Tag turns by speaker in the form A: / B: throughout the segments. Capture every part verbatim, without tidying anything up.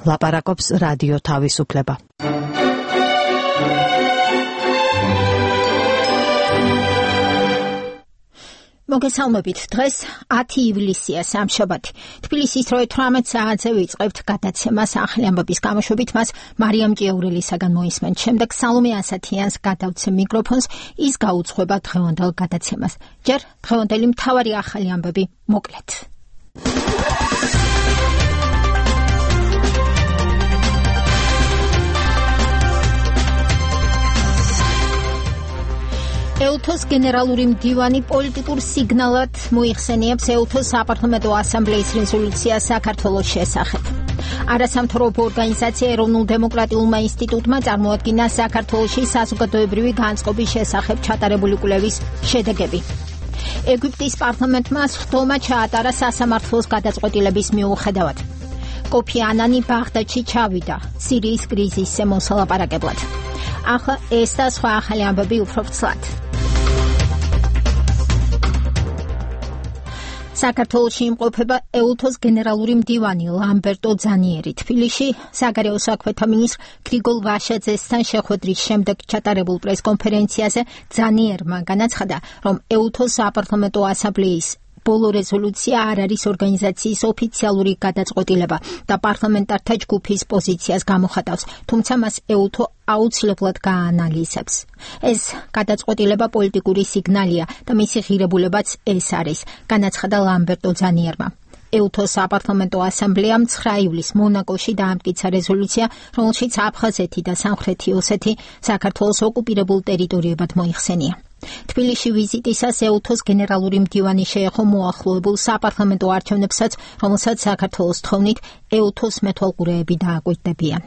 A: ლაპარაკობს რადიო თავისუფლება.
B: მოგესალმებით. დღეს ათი ივლისია, სამშაბათი. თბილისის დროით თვრამეტ საათზე ვიწყებთ გადაცემას ახალი ამბების გამოშვებით, მას მარიამ ჭიაურელისაგან მოისმენთ. შემდეგ სალომე ასათიანს გადავცემ მიკროფონს, ის გაუძღვება დღევანდელ გადაცემას. ჯერ დღევანდელი მთავარი ახალი ამბები მოკლედ. ელთოს გენერალური მდივანი პოლიტიკურ სიგნალად მოიხსენიებს ელთოს საპარლამენტო ასამბლეის რეზოლუციას საქართველოს შესახებ. არასამთავრობო ორგანიზაცია ეროვნულ დემოკრატიულმა ინსტიტუტმა წარმოადგინა საქართველოში საზოგადოებრივი განწყობის შესახებ ჩატარებული კვლევის შედეგები. ეგვიპტის პარლამენტმა სხდომა ჩაატარა სასამართლოს გადაწყვეტილების მიუხედავად. კოფი ანანი ბაღდადში ჩავიდა სირიის კრიზისზე მოსალაპარაკებლად. ახლა ეს და სხვა ახალი ამბები უფრო ფრთლად. საქართველოში იმყოფება ელთოს გენერალური მდივანი ლამბერტო ძანიერი. თბილისში საგარეო საქმეთა მინისტრ გრიგოლ ვაშაძესთან შეხვედრის შემდეგ ჩატარებულ პრესკონფერენციაზე ძანიერმა განაცხადა, რომ ელთოს საპარლამენტო ასამბლეის ბოლო რეზოლუცია არ არის ორგანიზაციის ოფიციალური გადაწყვეტილება და პარლამენტართა ჯგუფის პოზიციას გამოხატავს, თუმცა მას ელთო აუცილებლად გააანალიზებს. ეს გადაწყვეტილება პოლიტიკური სიგნალია და მისი ღირებულებაც ეს არის, განაცხადა ლამბერტო ძანიერმა. ელთოს საპარლამენტო ასამბლეამ ცხრა ივლისს მონაკოში დაამტკიცა რეზოლუცია, რომელშიც აფხაზეთი და სამხრეთი ოსეთი საქართველოს ოკუპირებულ ტერიტორიებად მოიხსენია. თბილისში ვიზიტისას ელთოს გენერალური მდივანი შეეხო მოახლოებულ საპარლამენტო არჩევნებსაც, რომელსაც საქართველოს თხოვნით ელთოს მეთვალყურეები დააკვირდებიან.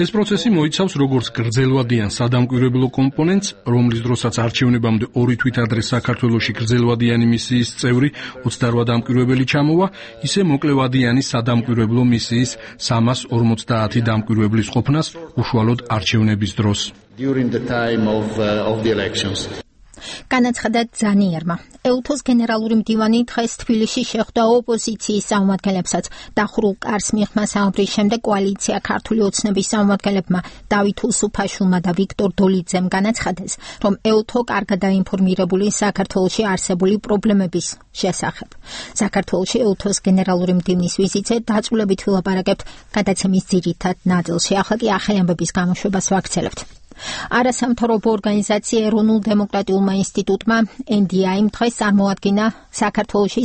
C: ეს პროცესი მოიცავს როგორც გრძელვადიან სადამკვირვებლო კომპონენტს, რომლის დროსაც არჩევნებამდე ორი თვით ადრე საქართველოში გრძელვადიანი მისიის წევრი ოცდაოთხ დამკვირვებელი ჩამოვა, ისე მოკლევადიანი სადამკვირვებლო მისიის სამას ორმოცდაათი დამკვირვებლის ყოფნას უშუალოდ არჩევნების დროს.
D: During the time of, uh, of the elections.
B: განაცხადა ძანიერმა. ელთოს გენერალური მდივანი დღეს თბილისში შეხვდა ოპოზიციის წარმომადგენლებსაც. დახურულ კარს მიღმა საუბრის შემდეგ კოალიცია ქართული ოცნების წარმომადგენლებმა დავით უსუფაშვილმა და ვიქტორ დოლიძემ განაცხადეს, რომ ელთო კარგად დაინფორმირებული საქართველოში არსებული პრობლემების შესახებ. საქართველოში ელთოს გენერალური მდივნის ვიზიტზე დაწვრილებით ვილაპარაკებთ გადაცემის ძირითად ნაწილში. ახლა კი ახალი ამბების გამოშვებას ვაგრძელებთ. არასამთავრობო ორგანიზაცია ეროვნულ დემოკრატიულმა ინსტიტუტმა ენ დი აი-მ დღეს წარმოადგინა საქართველოში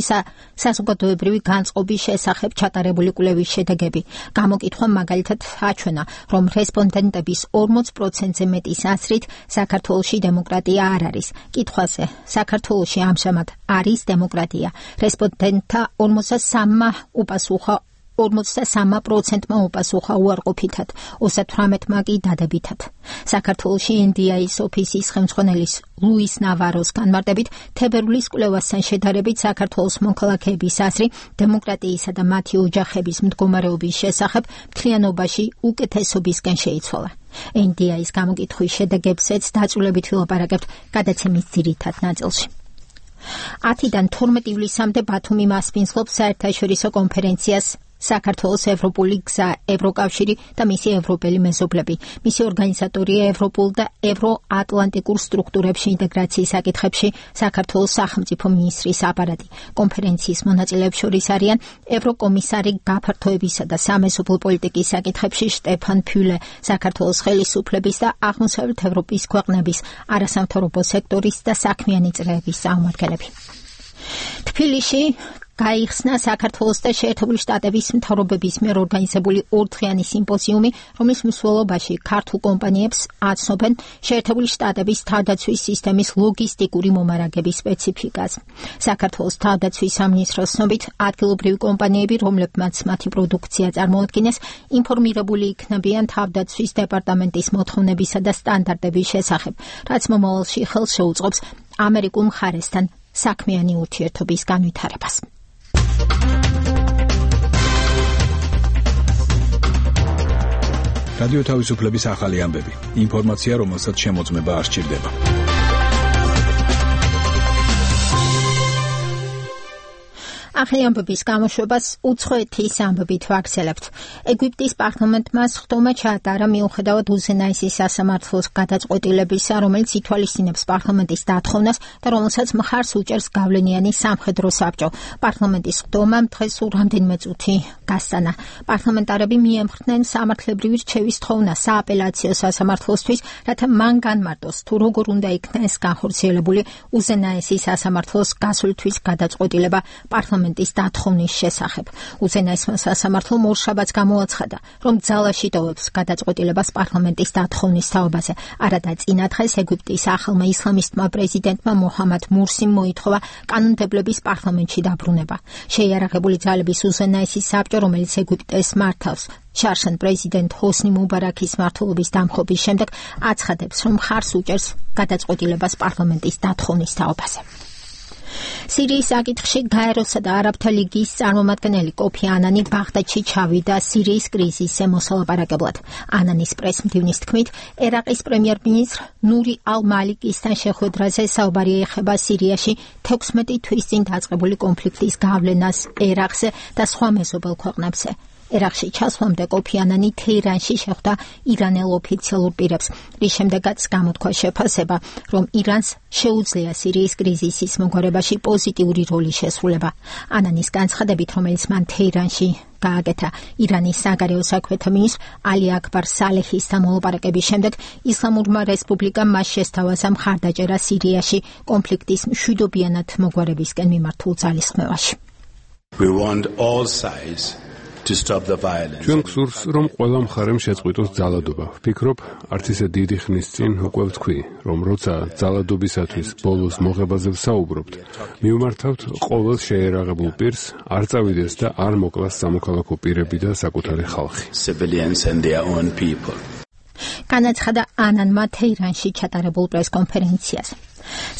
B: საზოგადოებრივი განწყობის შესახებ ჩატარებული კვლევის შედეგები. გამოკითხვა მაგალითად აჩვენა, რომ რესპონდენტების ორმოც პროცენტზე მეტის აზრით საქართველოში დემოკრატია არ არის. კითხვაზე საქართველოში ამჟამად არის დემოკრატია. რესპონდენტთა ორმოცდასამმა უპასუხა ორმოცდასამ პროცენტმა უპასუხა უარყოფითად, ოცდათვრამეტმა კი დადებითად. საქართველოში ენ დი აი-ის ოფისის ხელმძღვანელის ლუის ნავაროს განმარტებით, თებერვლის კვლევასთან შედარებით საქართველოს მოქალაქეების აზრი დემოკრატიისა და მათი ოჯახების მდგომარეობის შესახებ მთლიანობაში უკეთესობისკენ შეიცვალა. ენ დი აი-ის გამოკითხვის შედეგებზეც დაწვრილებით ვილაპარაკებთ გადაცემის ძირითად ნაწილში. ათიდან თორმეტ ივლისამდე ბათუმი მასპინძლობს საერთაშორისო კონფერენციას საქართველოს ევროპული გზა, ევროკავშირი და მისი ევროპელი მეზობლები. მისი ორგანიზატორია ევროპულ და ევროატლანტიკურ სტრუქტურებში ინტეგრაციის საკითხებში საქართველოს სახელმწიფო მინისტრის აპარატი. კონფერენციის მონაწილეებს შორის არიან ევროკომისარი გაფართოებისა და სამეზობლო პოლიტიკის საკითხებში შტეფან ფიულე, საქართველოს ხელისუფლების და აღმოსავლეთ ევროპის ქვეყნების არასამთავრობო სექტორის და საქმიანი წრეების წარმომადგენლები. თბილისში გაიხსნა საქართველოს და შეერთებული შტატების მთავრობების მიერ ორგანიზებული ორდღიანი სიმპოზიუმი, რომლის მსვლელობაში ქართულ კომპანიებს აცნობენ შეერთებული შტატების თავდაცვის სისტემის ლოგისტიკური მომარაგების სპეციფიკას. საქართველოს თავდაცვის სამინისტროს ცნობით, ადგილობრივი კომპანიები, რომლებმაც მათი პროდუქცია წარმოადგენს, ინფორმირებული იქნებიან თავდაცვის დეპარტამენტის მოთხოვნებისა და სტანდარტების შესახებ, რაც მომავალში ხელს შეუწყობს ამერიკულ მხარესთან საქმიანი ურთიერთობის განვითარებას.
E: რადიო თავისუფლების ახალი ამბები. ინფორმაცია, რომელსაც შემოწმება არ სჭირდება.
B: ახალი ამბების გამოშვებას უცხოეთის ამბებით ვაგრძელებთ. ეგვიპტის პარლამენტმა სხდომა ჩაატარა მიუხედავად უზენაესი სასამართლოს გადაწყვეტილებისა, რომელიც ითვალისწინებს პარლამენტის დათხოვნას და რომელსაც მხარს უჭერს გავლენიანი სამხედრო საბჭო. პარლამენტის სხდომამ დღეს რამდენიმე წუთი გასტანა. პარლამენტარები მიემხრნენ სამართლებრივი რჩევის თხოვნას სააპელაციო სასამართლოსთვის, რათა მან განმარტოს თუ როგორ უნდა იქნეს განხორციელებული უზენაესი სასამართლოს გასვლისთვის გადაწყვეტილება პარლამენტის დათხოვნის შესახებ. უზენაესმა სასამართლომ ორშაბათს გამოაცხადა, რომ ძალაში ტოვებს გადაწყვეტილებას პარლამენტის დათხოვნის თაობაზე. არადა წინა დღეს ეგვიპტის ახალმა ისლამისტმა პრეზიდენტმა მოჰამად მურსიმ მოითხოვა კანონმდებლობის პარლამენტში დაბრუნება. შეიარაღებული ძალების უზენაესი საბჭო, რომელიც ეგვიპტეს მართავს, შარშან პრეზიდენტ ჰოსნი მუბარაქის მმართველობის დამხობის შემდეგ აცხადებს, რომ მხარს უჭერს გადაწყვეტილებას პარლამენტის დათხოვნის თაობაზე. სირიის საკითხში გაეროსა და არაბთა ლიგის წარმომადგენელი კოფი ანანი ბაღდადში ჩავიდა სირიის კრიზისზე მოსალაპარაკებლად. ანანის პრესმდივნის თქმით, ერაყის პრემიერ-მინისტრ ნური ალ-მალიკისთან შეხვედრაზე საუბარი ეხება სირიაში თექვსმეტი თვის წინ დაწყებული კონფლიქტის გავლენას ერაყზე და სხვა მეზობელ ქვეყნებზე. ერაყში ჩასვლამდე კოფი ანანი თეირანში შეხვდა ირანელ ოფიციალურ პირებს, რის შემდეგაც გამოთქვა შეფასება, რომ ირანს შეუძლია სირიის კრიზისის მოგვარებაში პოზიტიური როლი შესრულება. ანანის განცხადებით, რომელიც მან თეირანში გააკეთა ირანის საგარეო საქმეთა მინისტრ ალი აკბარ სალეჰისთან მოლაპარაკების შემდეგ, ისლამურმა რესპუბლიკამ მას შესთავაზა მხარდაჭერა სირიაში კონფლიქტის მშვიდობიანად მოგვარებისკენ მიმართულ ძალისხმევაში.
F: We want all sides to stop the violence.
G: ჩვენ გსურს, რომ ყველა მხარემ შეწყვიტოს ძალადობა. ვფიქრობ, არც ისე დიდი ხნის წინ უკვე ვთქვი, რომ როცა ძალადობისათვის ბოლოს მოღებაზე ვსაუბრობთ, მივმართავთ ყოველ შეიარაღებულ პირს, არ წავიდეს და არ მოკლას სამოქალაქო პირები და საკუთარი ხალხი.
F: Civilians and their own people.
B: განაცხადა ანანმა თეირანში ჩატარებულ პრესკონფერენციაზე.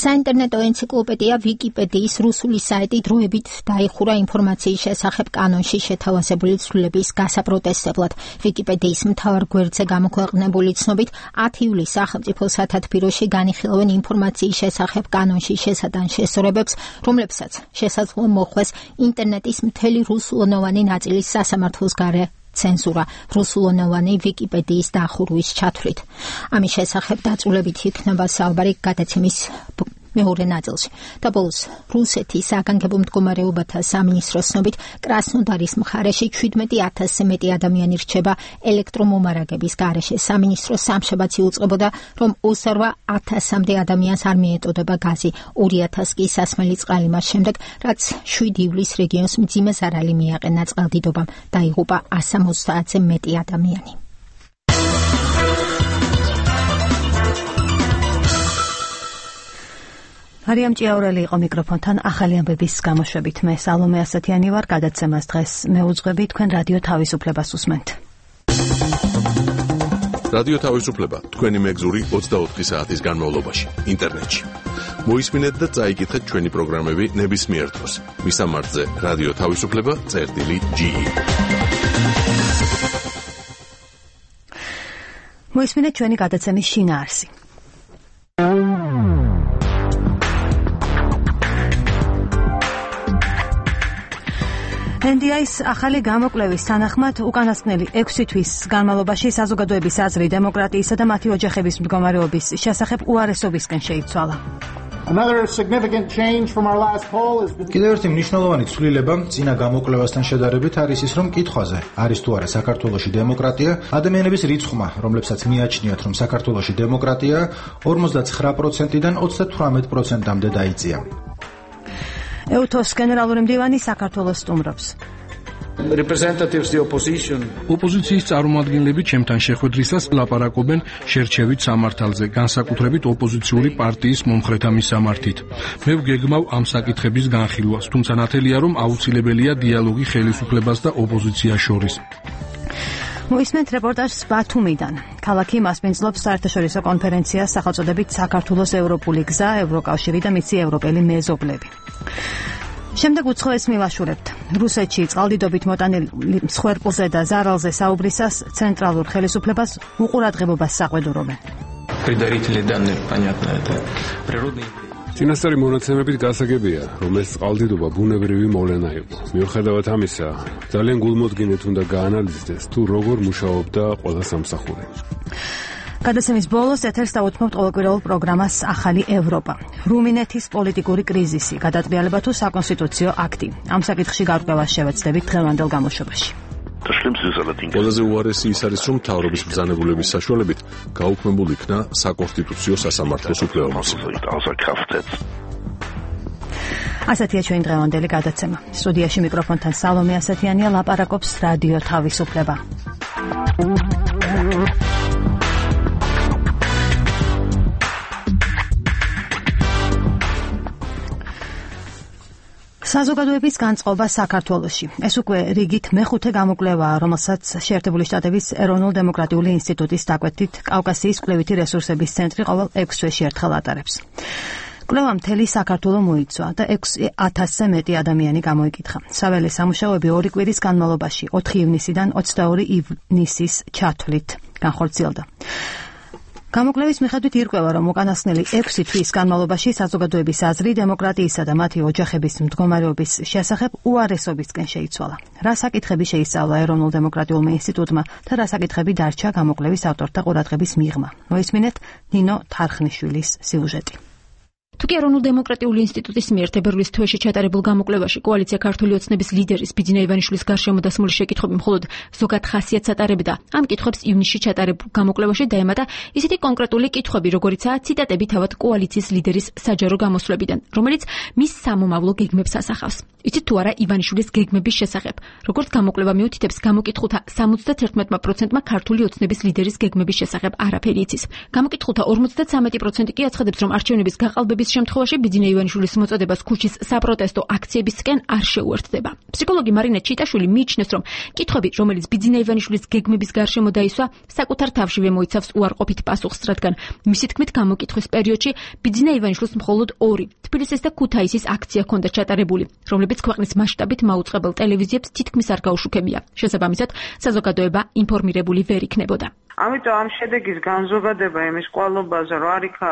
B: საინტერნეტო ენციკლოპედია ვიკიპედიის რუსული საიტი დროებით დაიხურა ინფორმაციის შესახებ კანონში შეთავაზებული ცვლილების გასაპროტესტებლად. ვიკიპედიის მთავარ გვერდზე გამოქვეყნებული ცნობით, ათი ივლისს სახელმწიფო სათათბიროში განიხილავენ ინფორმაციის შესახებ კანონში შესატან შესწორებებს, რომლებსაც შესაძლოა მოხვდეს ინტერნეტის მთელი რუსულენოვანი ნაწილის სასამართლოს გარე ცენზურა რუსულენოვანი ვიკიპედიის დახურვის ჩათვლით. ამის შესახებ დაწვრილებით იქნება საუბარი გადაცემის მეორე ნაწილში. და ბოლოს რუსეთის საგანგებო მდგომარეობათა სამინისტროს ცნობით, კრასნოდარის მხარეში ჩვიდმეტი ათასზე მეტი ადამიანი რჩება ელექტრომომარაგების გარეშე. სამინისტრო სამშაბათს იუწყებოდა, რომ ოცდაორ ათასამდე ადამიანს არ მიეტოდება გაზი, ორი ათას კი სასმელი წყალი მას შემდეგ, რაც შვიდი ივლისს რეგიონს მძიმე ზარალი მიაყენა წყალდიდობამ, დაიღუპა ასა ოცდაათზე მეტი ადამიანი.
A: მარიამ ჭიაურელი იყო მიკროფონთან ახალი ამბების გამოშვებით. მე სალომე ასათიანი ვარ, გადაცემას დღეს მეუძღვები, თქვენ რადიო თავისუფლებას უსმენთ.
H: რადიო თავისუფლება თქვენი მეგზური ოცდაოთხი საათის განმავლობაში ინტერნეტში. მოისმინეთ და წაიკითხეთ ჩვენი პროგრამები ნებისმიერ დროს. მისამართზე რადიო თავისუფლება წერტილი ჯი ი.
A: მოისმინეთ ჩვენი გადაცემის შინაარსი. ენ დი აის ახალი გამოკვლევის თანახმად უკანასკნელი ექვსი თვის განმავლობაში საზოგადოების აზრი დემოკრატიისა და მათი ოჯახების მდგომარეობის შესახებ უარესობისკენ შეიცვალა.
I: კიდევ ერთი მნიშვნელოვანი ცვლილება წინა გამოკვლევასთან შედარებით არის ის, რომ კითხვაზე არის თუ არა საქართველოში დემოკრატია, ადამიანების რიცხვმა, რომლებსაც მიაჩნიათ, რომ საქართველოში დემოკრატია, ორმოცდაცხრა პროცენტიდან ოცდათვრამეტ პროცენტამდე დაიწია.
A: ეუთოს გენერალური მდივანი საქართველოს სტუმრობს.
C: ოპოზიციის წარმომადგენლები ჩემთან შეხვედრისას ლაპარაკობენ შერჩევით სამართალზე, განსაკუთრებით ოპოზიციური პარტიის მომხრეთა მისამართით. მე ვგეგმავ ამ საკითხების განხილვას, თუმცა ნათელია, რომ აუცილებელია დიალოგი ხელისუფლებას და ოპოზიციას შორის.
A: მოისმენთ რეპორტაჟს ბათუმიდან. ქალაქი მასპინძლობს საერთაშორისო კონფერენციას სახელწოდებით საქართველოს ევროპული გზა, ევროკავშირი და მიცი ევროპელი მეზობლები. შემდეგ უცხოეთს მივაშურებთ. რუსეთში წყალდიდობით მოტანილი მსხვერპლზე და ზარალზე საუბრისას ცენტრალურ ხელისუფლებას უყურადღებობას საყვედურობენ.
G: წინასწარი მონაცემებით გასაგებია, რომ ეს წყალდიდობა ბუნებრივი მოვლენა იყო. მიუხედავად ამისა, ძალიან გულმოდგინედ უნდა გაანალიზდეს, თუ როგორ მუშაობდა ყველა სამსახური.
A: გადაცემის ბოლოს ეთერს დაუთმობთ ყოველკვირეულ პროგრამას ახალი ევროპა. რუმინეთის პოლიტიკური კრიზისი, გადატრიალება თუ საკონსტიტუციო აქტი. ამ საკითხში გარკვევას შევეცდებით დღევანდელ გამოშვებაში.
H: ყველაზე უარესი ის არის, რომ მთავრობის ბრძანებულების საშუალებით გაუქმებულ იქნა საკონსტიტუციო სასამართლოს უფლებამოსილი.
A: ასეთია ჩვენი დღევანდელი გადაცემა. სტუდიაში მიკროფონთან სალომე ასათიანია, ლაპარაკობს რადიო თავისუფლება. საზოგადოების განწყობა საქართველოში. ეს უკვე რიგით მეხუთე გამოკვლევაა, რომელსაც შეერთებული შტატების ეროვნულ-დემოკრატიული ინსტიტუტის დაკვეთით კავკასიის კვლევითი რესურსების ცენტრი ყოველ ექვს თვეში ერთხელ ატარებს. კვლევა მთელი საქართველო მოიცვა და ექვსი ათასზე მეტი ადამიანი გამოიკითხა. საველე სამუშაოები ორი კვირის განმავლობაში ოთხი ივნისიდან ოცდაორი ივნისის ჩათვლით განხორციელდა. გამოკვლევის მიხედვით ირკვევა, რომ უკანასკნელი ექვსი თვის განმავლობაში საზოგადოების აზრი დემოკრატიისა და მათი ოჯახების მდგომარეობის შესახებ უარესობისკენ შეიცვალა. რა საკითხები შეისწავლა ეროვნულ-დემოკრატიულმა ინსტიტუტმა და რა საკითხები დარჩა გამოკვლევის ავტორთა ყურადღების მიღმა. მოისმინეთ ნინო თარხნიშვილის სიუჟეტი.
J: თუკი ეროვნულ-დემოკრატიული ინსტიტუტის მიერ თებერვლის თვეში ჩატარებულ გამოკვლევაში კოალიცია ქართული ოცნების ლიდერის ბიძინა ივანიშვილის გარშემო დასმული შეკითხვები მხოლოდ ზოგად ხასიათს ატარებდა, ამ კითხვებს ივნისში ჩატარებულ გამოკვლევაში დაემატა ისეთი კონკრეტული კითხვები, როგორიცაა ციტატები თავად კოალიციის ლიდერის საჯარო გამოსვლებიდან, რომელიც მის სამომავლო გეგმებს ასახავს. იცით თუ არა ივანიშვილის გეგმების შესახებ? როგორც გამოკვლევა მიუთითებს, გამოკითხულთა სამოცდათერთმეტ პროცენტმა ქართული ოცნების ლიდერის გეგმების შესახებ არაფერი იცის. გამოკითხულთა ორმოცდათვრამეტი პროცენტი კი აცხადებს, რომ არჩევნების გაყალბების შემთხვევაში ბიძინა ივანიშვილის მოწოდებას ქუჩის საპროტესტო აქციებისკენ არ შეუერთდება. ფსიქოლოგი მარინა ჩიტაშვილი მიიჩნევს, რომ კითხვები, რომელიც ბიძინა ივანიშვილის გეგმების გარშემო დაისვა, საკუთარ თავშივე მოიცავს უარყოფით პასუხს, რადგან მისი თქმით გამოკითხვის პერიოდში ბიძინა ივანიშვილს მხოლოდ ორი თბილისის და ქუთაისის აქცია ჰქონდა ჩატარებული, რომლებიც ქვეყნის მასშტაბით მაუწყებელ ტელევიზიებს თითქმის არ გაუშუქებია. შესაბამისად, საზოგადოება ინფორმირებული ვერ იქნებოდა.
K: ამიტომ ამ შედეგის განზოგადება იმის კვალობაზე, რომ არ იქა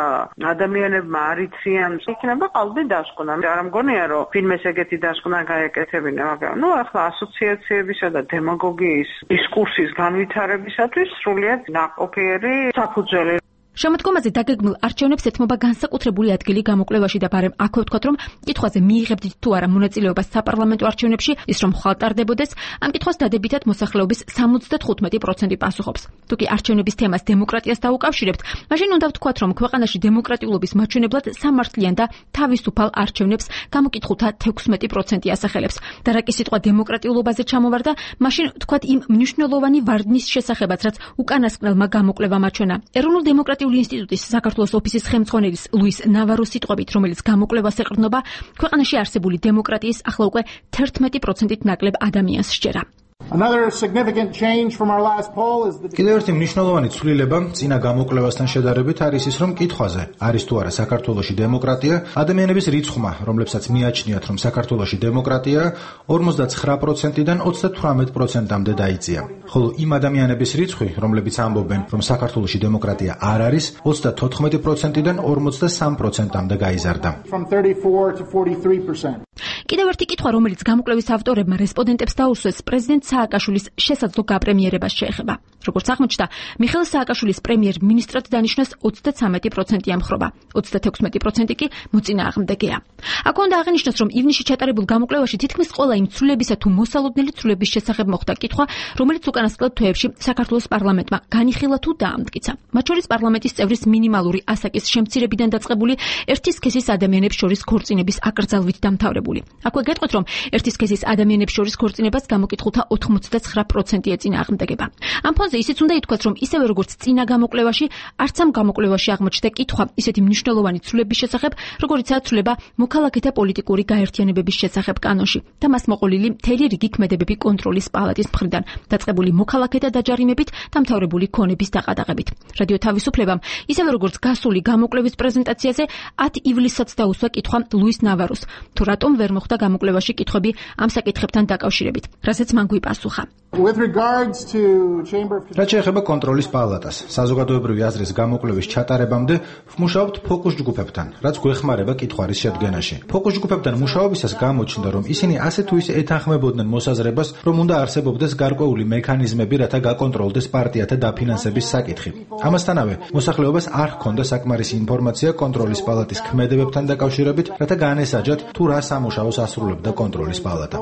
K: ადამიანებმა არ იციან, იქნება ყალბი დასკვნა. არ მგონია, რომ ფილმეს ეგეთი დასკვნა გაეკეთებინა, მაგრამ ნუ ახლა ასოციაციებისა და დემაგოგიის დისკურსის განვითარებისათვის სრულიად ნაყოფიერი საფუძველი.
J: შემოდგომაზე დაგეგმილ არჩევნებს ეთმობა განსაკუთრებული ადგილი გამოკვლევაში და ბარემ აქვე ვთქვათ, რომ კითხვაზე მიიღებდით თუ არა მონაწილეობას საპარლამენტო არჩევნებში, ის რომ ხვალტარდებოდეს, ამ კითხვას დადებითად მოსახლეობის სამოცდათხუთმეტი პროცენტი პასუხობს. თუკი არჩევნების თემას დემოკრატიას დაუკავშირებთ, მაშინ უნდა ვთქვათ, რომ ქვეყანაში დემოკრატიულობის მაჩვენებლად სამართლიან და თავისუფალ არჩევნებს გამოკითხულთა თექვსმეტი პროცენტი ასახელებს. და რა კი სიტყვა დემოკრატიულობაზე ჩამოვარდა, მაშინ ვთქვათ იმ მნიშვნელოვანი ვარდნის შესახებაც, რაც უკანასკნელმა გამოკვლევამ აჩვენა. ეროვნულ-დემოკრატიული ინსტიტუტის საქართველოს ოფისის ხელმძღვანელის ლუის ნავაროს სიტყვებით, რომელიც გამოკვლევას ეყრდნობა, ქვეყანაში არსებული დემოკრატიის ახლა უკვე თერთმეტი პროცენტით ნაკლებ ადამიანს სჯერა.
I: კიდევ ერთი მნიშვნელოვანი ცვლილება წინა გამოკვლევასთან შედარებით არის ის, რომ კითხვაზე არის თუ არა საქართველოში დემოკრატია, ადამიანების რიცხვმა, რომლებსაც მიაჩნიათ, რომ საქართველოში დემოკრატია, ორმოცდაცხრა პროცენტიდან ოცდათვრამეტ პროცენტამდე დაიწია. ხოლო იმ ადამიანების რიცხვი, რომლებიც ამბობენ, რომ საქართველოში დემოკრატია არ არის, ოცდათოთხმეტი პროცენტიდან ორმოცდასამ პროცენტამდე გაიზარდა.
J: კიდევ ერთი კითხვა, რომელიც გამოკვლევის ავტორებმა რესპონდენტებს დაუსვეს, პრეზიდენტ სააკაშვილის შესაძლო გაპრემიერებას შეეხება. როგორც აღმოჩნდა, მიხეილ სააკაშვილის პრემიერ-მინისტრად დანიშნვას ოცდაცამეტი პროცენტი ამხრობა, ოცდათექვსმეტი პროცენტი კი მოწინააღმდეგეა. აქ უნდა აღინიშნოს, რომ ივნისში ჩატარებულ გამოკვლევაში თითქმის ყველა იმ ცვლილებისა თუ მოსალოდნელი ცვლილების შესახებ მოხდა კითხვა, რომელიც უკანასკნელ თვეებში საქართველოს პარლამენტმა განიხილა თუ დაამტკიცა. მათ შორის პარლამენტის წევრის მინიმალური ასაკის შემცირებიდან დაწყებული ერთი სქესის ადამიანებს შორის ქორწინების აკრძალვით დამთავრებული. აქვე გეტყვით, რომ ერთი სქესის ადამიანებს შორის ქორწინებას გამოკითხულთა ოთხმოცდაცხრა პროცენტი ეწინააღმდეგება. ამ ფონზე ისიც უნდა ითქვას, რომ ისევე როგორც წინა გამოკვლევაში, არც ამ გამოკვლევაში აღმოჩნდა კითხვა ისეთი მნიშვნელოვანი ცვლილების შესახებ, როგორიცაა ცვლილება მოქალაქეთა პოლიტიკური გაერთიანებების შესახებ კანონში და მას მოყოლილი მთელი რიგი ქმედებები კონტროლის პალატის მხრიდან, დაწყებული მოქალაქეთა დაჯარიმებით, დამთავრებული ქონების დაყადაღებით. რადიო თავისუფლებამ, ისევე როგორც გასული გამოკვლევის პრეზენტაციაზე, ათი ივლისსაც დაუსვა კითხვა ლუის ნავაროს, თუ რატომ ვერ მოხდა გამოკვლევაში კითხვები ამ საკითხებთან დაკავშირებით, რასაც მან გვიპასუხა.
D: With regards to Chamber of
I: რაც შეეხება კონტროლის პალატას, საზოგადოებრივი აზრის გამოკვლევის ჩატარებამდე ვმუშაობთ ფოკუს ჯგუფებთან, რაც გვეხმარება კითხვარის შედგენაში. ფოკუს ჯგუფებთან მუშაობისას გამოჩნდა, რომ ისინი ასე თუ ისე ეთანხმებოდნენ მოსაზრებას, რომ უნდა არსებობდეს გარკვეული მექანიზმები, რათა გაკონტროლდეს პარტიათა დაფინანსების საკითხი. ამასთანავე, მოსახლეობას არ ჰქონდა საკმარისი ინფორმაცია კონტროლის პალატის ქმედებებთან დაკავშირებით, რათა განესაჯათ თუ რა სამუშაოს ასრულებდა კონტროლის პალატა.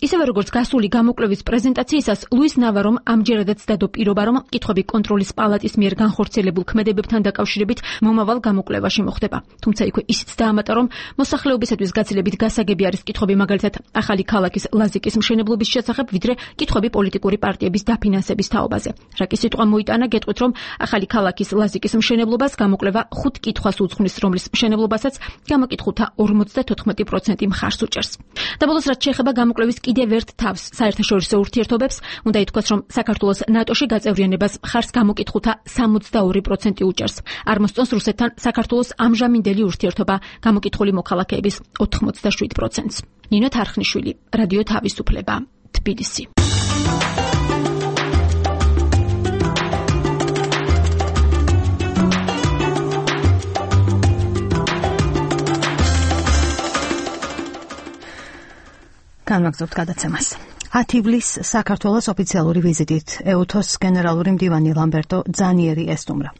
J: ისევე როგორც გასული გამოკვლევის პრეზენტაციისას, ლუის ნავარომ ამჯერადაც დადო პირობა, რომ კითხვები კონტროლის პალატის მიერ განხორციელებულ ქმედებებთან დაკავშირებით მომავალ გამოკვლევაში მოხდება. თუმცა იქვე ისიც დაამატა, რომ მოსახლეობისათვის გაცილებით გასაგები არის კითხვები მაგალითად ახალი ქალაქის ლაზიკის მშენებლობის შესახებ, ვიდრე კითხვები პოლიტიკური პარტიების დაფინანსების თაობაზე. რაკი სიტყვა მოიტანა, გეტყვით, რომ ახალი ქალაქის ლაზიკის მშენებლობას გამოკვლევა ხუთ კითხვას უძღვნის, რომლის მშენებლობასაც გამოკითხულთა ორმოცდათოთხმეტი პროცენტი მხარს უჭერს. და ბოლოს რაც შეეხება გამოკვლევის კიდევ ერთ თავს საერთაშორისო ურთიერთობებს, უნდა ითქვას, რომ საქართველოს ნატოში გაწევრიანებას მხარს გამოკითხულთა სამოცდაორი პროცენტი უჭერს. არ მოსწონს რუსეთთან საქართველოს ამჟამინდელი ურთიერთობა გამოკითხული მოქალაქეების ოთხმოცდაშვიდ პროცენტს. ნინო თარხნიშვილი, რადიო თავისუფლება, თბილისი.
A: განვაგრძობთ გადაცემას. ათი ივლისს საქართველოს ოფიციალური ვიზიტით ეუთოს გენერალური მდივანი ლამბერტო ძანიერი ესტუმრა.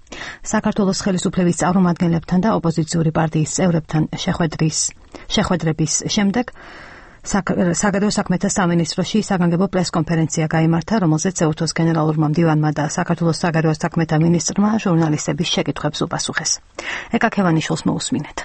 A: საქართველოს ხელისუფლების წარმომადგენლებთან და ოპოზიციური პარტიის წევრებთან შეხვედრის შეხვედრების შემდეგ საგარეო საქმეთა სამინისტროში საგანგებო პრესკონფერენცია გაიმართა, რომელზეც ეუთოს გენერალურმა მდივანმა და საქართველოს საგარეო საქმეთა მინისტრმა ჟურნალისტების შეკითხვებს უპასუხეს. ეკა ქევანიშვილს მოусმინეთ.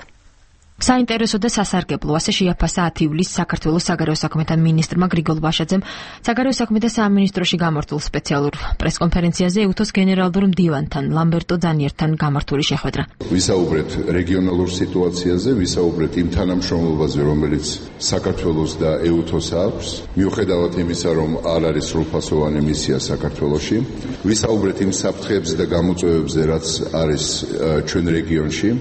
L: საინტერესო და სასარგებლო ასე შეაფასა ათი ივლისს საქართველოს საგარეო საქმეთა მინისტრმა გრიგოლ ვაშაძემ საგარეო საქმეთა სამინისტროში გამართულ სპეციალურ პრესკონფერენციაზე ეუთოს გენერალურ მდივანთან ლამბერტო ძანიერთან გამართული შეხვედრა.
M: ვისაუბრეთ რეგიონალურ სიტუაციაზე, ვისაუბრეთ იმ თანამშრომლობაზე, რომელიც საქართველოს და ეუთოს აქვს, მიუხედავად იმისა, რომ არ არის სრულფასოვანი მისია საქართველოში, ვისაუბრეთ იმ საფრთხეებზე და გამოწვევებზე, რაც არის ჩვენ რეგიონში.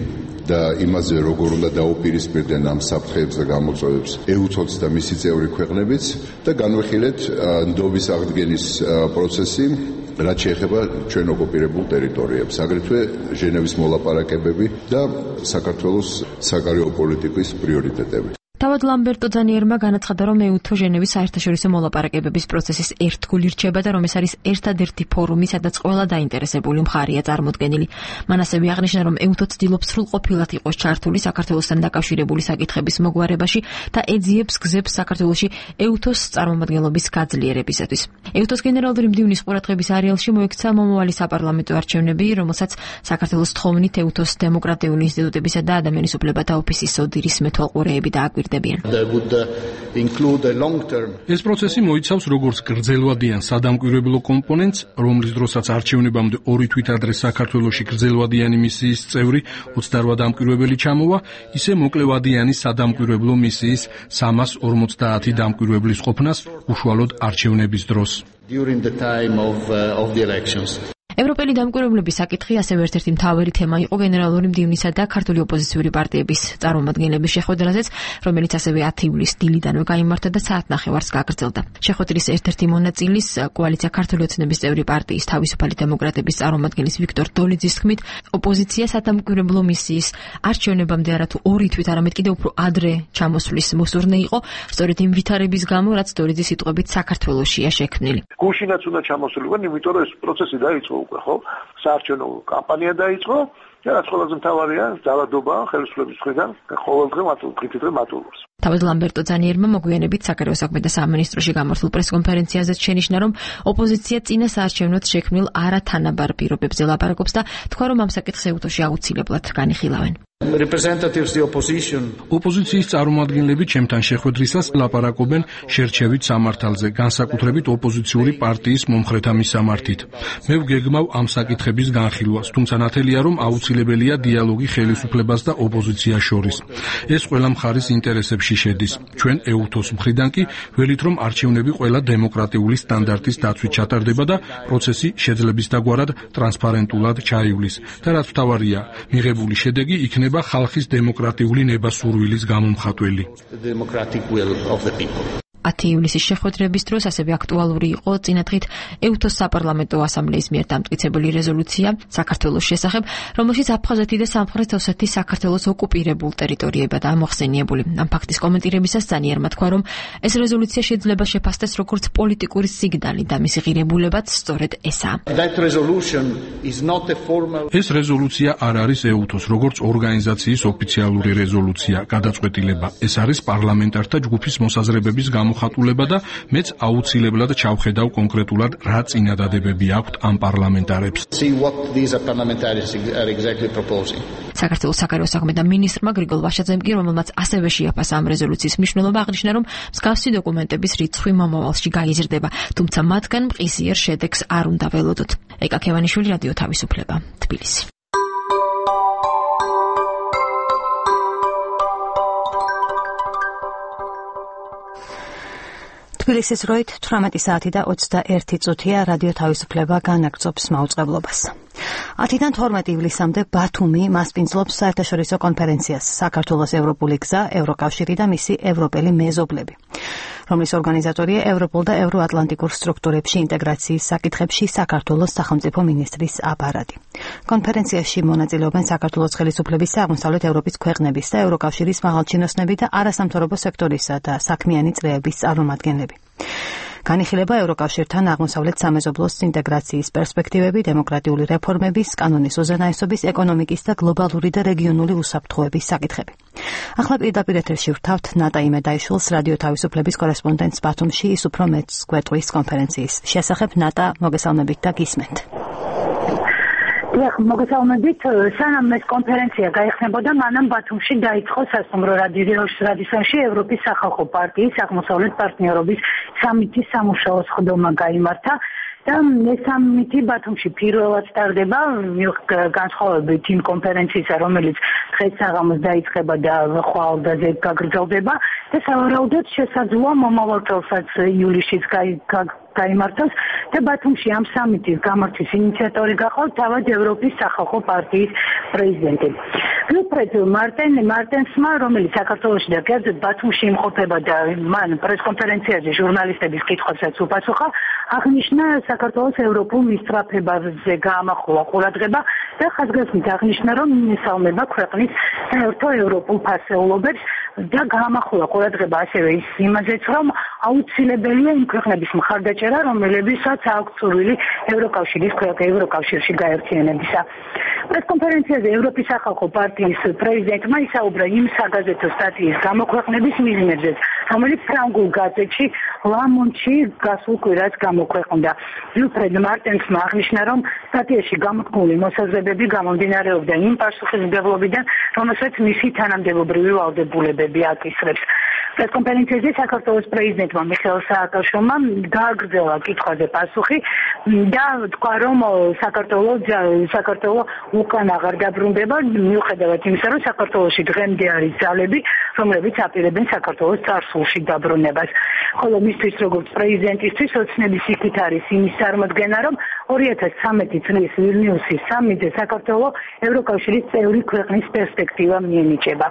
M: და იმაზე როგორ უნდა დაუპირისპირდნენ ამ საფრთხეებს და გამოწვევებს ეუთოც და მისი წევრი ქვეყნებიც და განვიხილეთ ნდობის აღდგენის პროცესი, რაც შეეხება ჩვენ ოკუპირებულ ტერიტორიებს, აგრეთვე ჟენევის მოლაპარაკებები და საქართველოს საგარეო პოლიტიკის პრიორიტეტები.
L: თავად ლამბერტო ძანიერმა განაცხადა, რომ ეუთო ჟენევის საერთაშორისო მოლაპარაკებების პროცესის ერთგული რჩება და რომ ეს არის ერთადერთი ფორუმი, სადაც ყველა დაინტერესებული მხარეა წარმოდგენილი. მან ასევე აღნიშნა, რომ ეუთო ცდილობს სრულყოფილად იყოს ჩართული საქართველოსთან დაკავშირებული საკითხების მოგვარებაში და ეძიებს გზებს საქართველოში ეუთოს წარმომადგენლობის გაძლიერებისათვის. ეუთოს გენერალური მდივნის ყურადღების არეალში მოექცა მომავალი საპარლამენტო არჩევნები, რომელსაც საქართველოს თხოვნით ეუთოს დემოკრატიული ინსტიტუტებისა და ადამიანის უფლებათა ოფისის ოდირის მეთვალყურეები დააკვირდებიან.
C: ეს პროცესი მოიცავს როგორც გრძელვადიან სადამკვირვებლო კომპონენტს, რომლის დროსაც არჩევნებამდე ორი თვით ადრე საქართველოში გრძელვადიანი მისიის წევრი ოცდაორი დამკვირვებელი ჩამოვა, ისე მოკლევადიანი სადამკვირვებლო მისიის სამას ორმოცდაათი დამკვირვებლის ყოფნას უშუალოდ არჩევნების დროს.
D: During the time of, uh, of the elections.
L: ევროპელი დამკვირვებლების საკითხი ასევე ერთ-ერთი მთავარი თემა იყო გენერალური მდივნისა და ქართული ოპოზიციური პარტიების წარმომადგენლების შეხვედრაზეც, რომელიც ასევე ათი ივლისს დილიდანვე გაიმართა და საათნახევარს გაგრძელდა. შეხვედრის ერთ-ერთი მონაწილის კოალიცია ქართული ოცნების წევრი პარტიის თავისუფალი დემოკრატების წარმომადგენლის ვიქტორ დოლიძის თქმით, ოპოზიცია სადამკვირვებლო მისიის არჩევნებამდე არა თუ ორი თვით, არამედ კიდევ უფრო ადრე ჩამოსვლის მოსურნე იყო, სწორედ იმ ვითარების გამო, რაც დოლიძის სიტყვებით საქართველოშია შექმნილი.
N: გუშინაც უნდა ჩამოსულიყო, იმიტომ რომ ეს პროცესი დაიწყო. ხო, საარჩევნო კამპანია დაიწყო და რაც ყველაზე მთავარია, ძალადობა ხელისუფლების მხრიდან ყოველდღე მათულდღე მატულობს.
L: თავად ლამბერტო ძანიერმა მოგვიანებით საგარეო საქმეთა სამინისტროში გამართულ პრესკონფერენციაზეც შენიშნა, რომ ოპოზიცია წინა საარჩევნოდ შექმნილ არათანაბარ პირობებზე ლაპარაკობს და თქვა, რომ ამ საკითხს ეუთოში აუცილებლად განიხილავენ.
D: Representatives the opposition.
C: ოპოზიციის წარმომადგენლები ჩემთან შეხვედრისას ლაპარაკობენ შერჩევით სამართალზე, განსაკუთრებით ოპოზიციური პარტიის მომხრეთა მისამართით. მე ვგეგმავ ამ საკითხების განხილვას, თუმცა ნათელია, რომ აუცილებელია დიალოგი ხელისუფლებას და ოპოზიციას შორის. ეს ყველა მხარის ინტერესებში შედის. ჩვენ ეუთოს მხრიდან კი ველით, რომ არჩევნები ყველა დემოკრატიული სტანდარტის დაცვით ჩატარდება და პროცესი შეძლებისდაგვარად ტრანსპარენტულად ჩაივლის. და რაც მთავარია, მიღებული შედეგი იქნება ხალხის დემოკრატიული ნება სურვილის გამომხატველი.
L: ათი ივლისის შეხვედრების დროს ასევე აქტუალური იყო წინადღით ეუთოს საპარლამენტო ასამბლეის მიერ დამტკიცებული რეზოლუცია საქართველოს შესახებ, რომელშიც აფხაზეთი და სამხრეთ ოსეთი საქართველოს ოკუპირებულ ტერიტორიებადაა მოხსენიებული. ამ ფაქტის კომენტირებისას ზანიერმა თქვა, რომ ეს რეზოლუცია შეიძლება შეფასდეს როგორც პოლიტიკური სიგნალი და მისი ღირებულებაც სწორედ ესაა.
C: ეს რეზოლუცია არ არის ეუთოს როგორც ორგანიზაციის ოფიციალური რეზოლუცია, გადაწყვეტილება. ეს არის პარლამენტართა ჯგუფის მოსაზრებების გამოხატულება და მეც აუცილებლად ჩავხედავ კონკრეტულად რა წინადადებები აქვთ ამ პარლამენტარებს.
L: საქართველოს საგარეო საქმეთა მინისტრმა გრიგოლ ვაშაძემ კი, რომელმაც ასევე შეაფასა ამ რეზოლუციის მნიშვნელობა, აღნიშნა, რომ მსგავსი დოკუმენტების რიცხვი მომავალში გაიზრდება, თუმცა მათგან მყისიერ შედეგს არ უნდა ველოდოთ. ეკა ქევანიშვილი, რადიო თავისუფლება, თბილისი.
A: თბილისის დროით თვრამეტი საათი და ოცდაერთი წუთია. რადიო თავისუფლება განაგრძობს მაუწყებლობას. ათიდან თორმეტი ივლისამდე ბათუმი მასპინძლობს საერთაშორისო კონფერენციას საქართველოს ევროპული გზა, ევროკავშირი და მისი ევროპელი მეზობლები, რომლის ორგანიზატორია ევროპულ და ევროატლანტიკურ სტრუქტურებში ინტეგრაციის საკითხებში საქართველოს სახელმწიფო მინისტრის აპარატი. კონფერენციაში მონაწილეობენ საქართველოს ხელისუფლების, აღმოსავლეთ ევროპის ქვეყნების და ევროკავშირის მაღალჩინოსნები და არასამთავრობო სექტორისა და საქმიანი წრეების წარმომადგენლები. განიხილება ევროკავშირთან აღმოსავლეთ სამეზობლოს ინტეგრაციის პერსპექტივები, დემოკრატიული რეფორმების, კანონის უზენაესობის, ეკონომიკის და გლობალური და რეგიონული უსაფრთხოების საკითხები. ახლა პირდაპირ ეთერში ვთავთ ნატა იმედაიშვილს, რადიო თავისუფლების კორესპონდენტს ბათუმში, ის უფრო მეტს გვეტყვის კონფერენციის შესახებ. ნატა, მოგესალმებით და გისმენთ.
O: დიახ, მოგესალმებით. სანამ ეს კონფერენცია გაიხსნებოდა, მანამ ბათუმში დაიწყო სასტუმრო რადისონში ევროპის სახალხო პარტიის აღმოსავლეთ პარტნიორობის სამითის სამუშაო სხდომა გაიმართა და ეს სამითი ბათუმში პირველად სტარდება განსხვავებით იმ კონფერენციისა, რომელიც დღეს საღამოს დაიწყება და ხვალდაზე გაგრძელდება და სავარაუდოდ შესაძლოა მომავალ წელსაც ივლისშიც გაიმართოს და ბათუმში ამ სამიტის გამართვის ინიციატორი გახვალ თავად ევროპის სახალხო პარტიის პრეზიდენტი. ვილფრედ მარტენ მარტენსმა, რომელიც საქართველოში და კერძოდ ბათუმში იმყოფება და მან პრესკონფერენციაზე ჟურნალისტების კითხვებსაც უპასუხა, აღნიშნა საქართველოს ევროპულ მისწრაფებაზე გაამახვილა ყურადღება და ხაზგასმით აღნიშნა, რომ მისალმება ქვეყნის საერთო ევროპულ ფასეულობებს და გაამახვილა ყურადღება ასევე ის იმაზეც, რომ აუცილებელია იმ ქვეყნების მხარდაჭერა, რომლებსაც აქვს სურვილი ევროკავშირის ევროკავშირში გაერთიანებისა. პრესკონფერენციაზე ევროპის სახალხო პარტიის პრეზიდენტმა ისაუბრა იმ საგაზეთო სტატიის გამოქვეყნების მიზნებზე, რომელიც ფრანგულ გაზეთში ლა მონდში გასულ კვირას გამოქვეყნდა. ვილფრედ მარტენსმა აღნიშნა, რომ სტატიაში გამოთქმული მოსაზრებები გამომდინარეობდა იმ პასუხისმგებლობიდან, რომელსაც მისი თანამდებობრივი ვალდებულებები აკისრებს. პრესკონფერენციაზე საქართველოს პრეზიდენტმა მიხეილ სააკაშვილმა გააგრძელა კითხვაზე პასუხი და თქვა, რომ საქართველო საქართველო უკან აღარ დაბრუნდება, მიუხედავად იმისა, რომ საქართველოში დღემდე არის ძალები, რომლებიც აპირებენ საქართველოს წარსულში დაბრუნებას. ხოლო მისთვის როგორც პრეზიდენტისთვის ოცნების იქით არის იმის წარმოდგენა, რომ ორი ათას ცხრამეტი წლის ვილნიუსის სამიტზე საქართველო ევროკავშირის წევრი ქვეყნის პერსპექტივა მიენიჭება.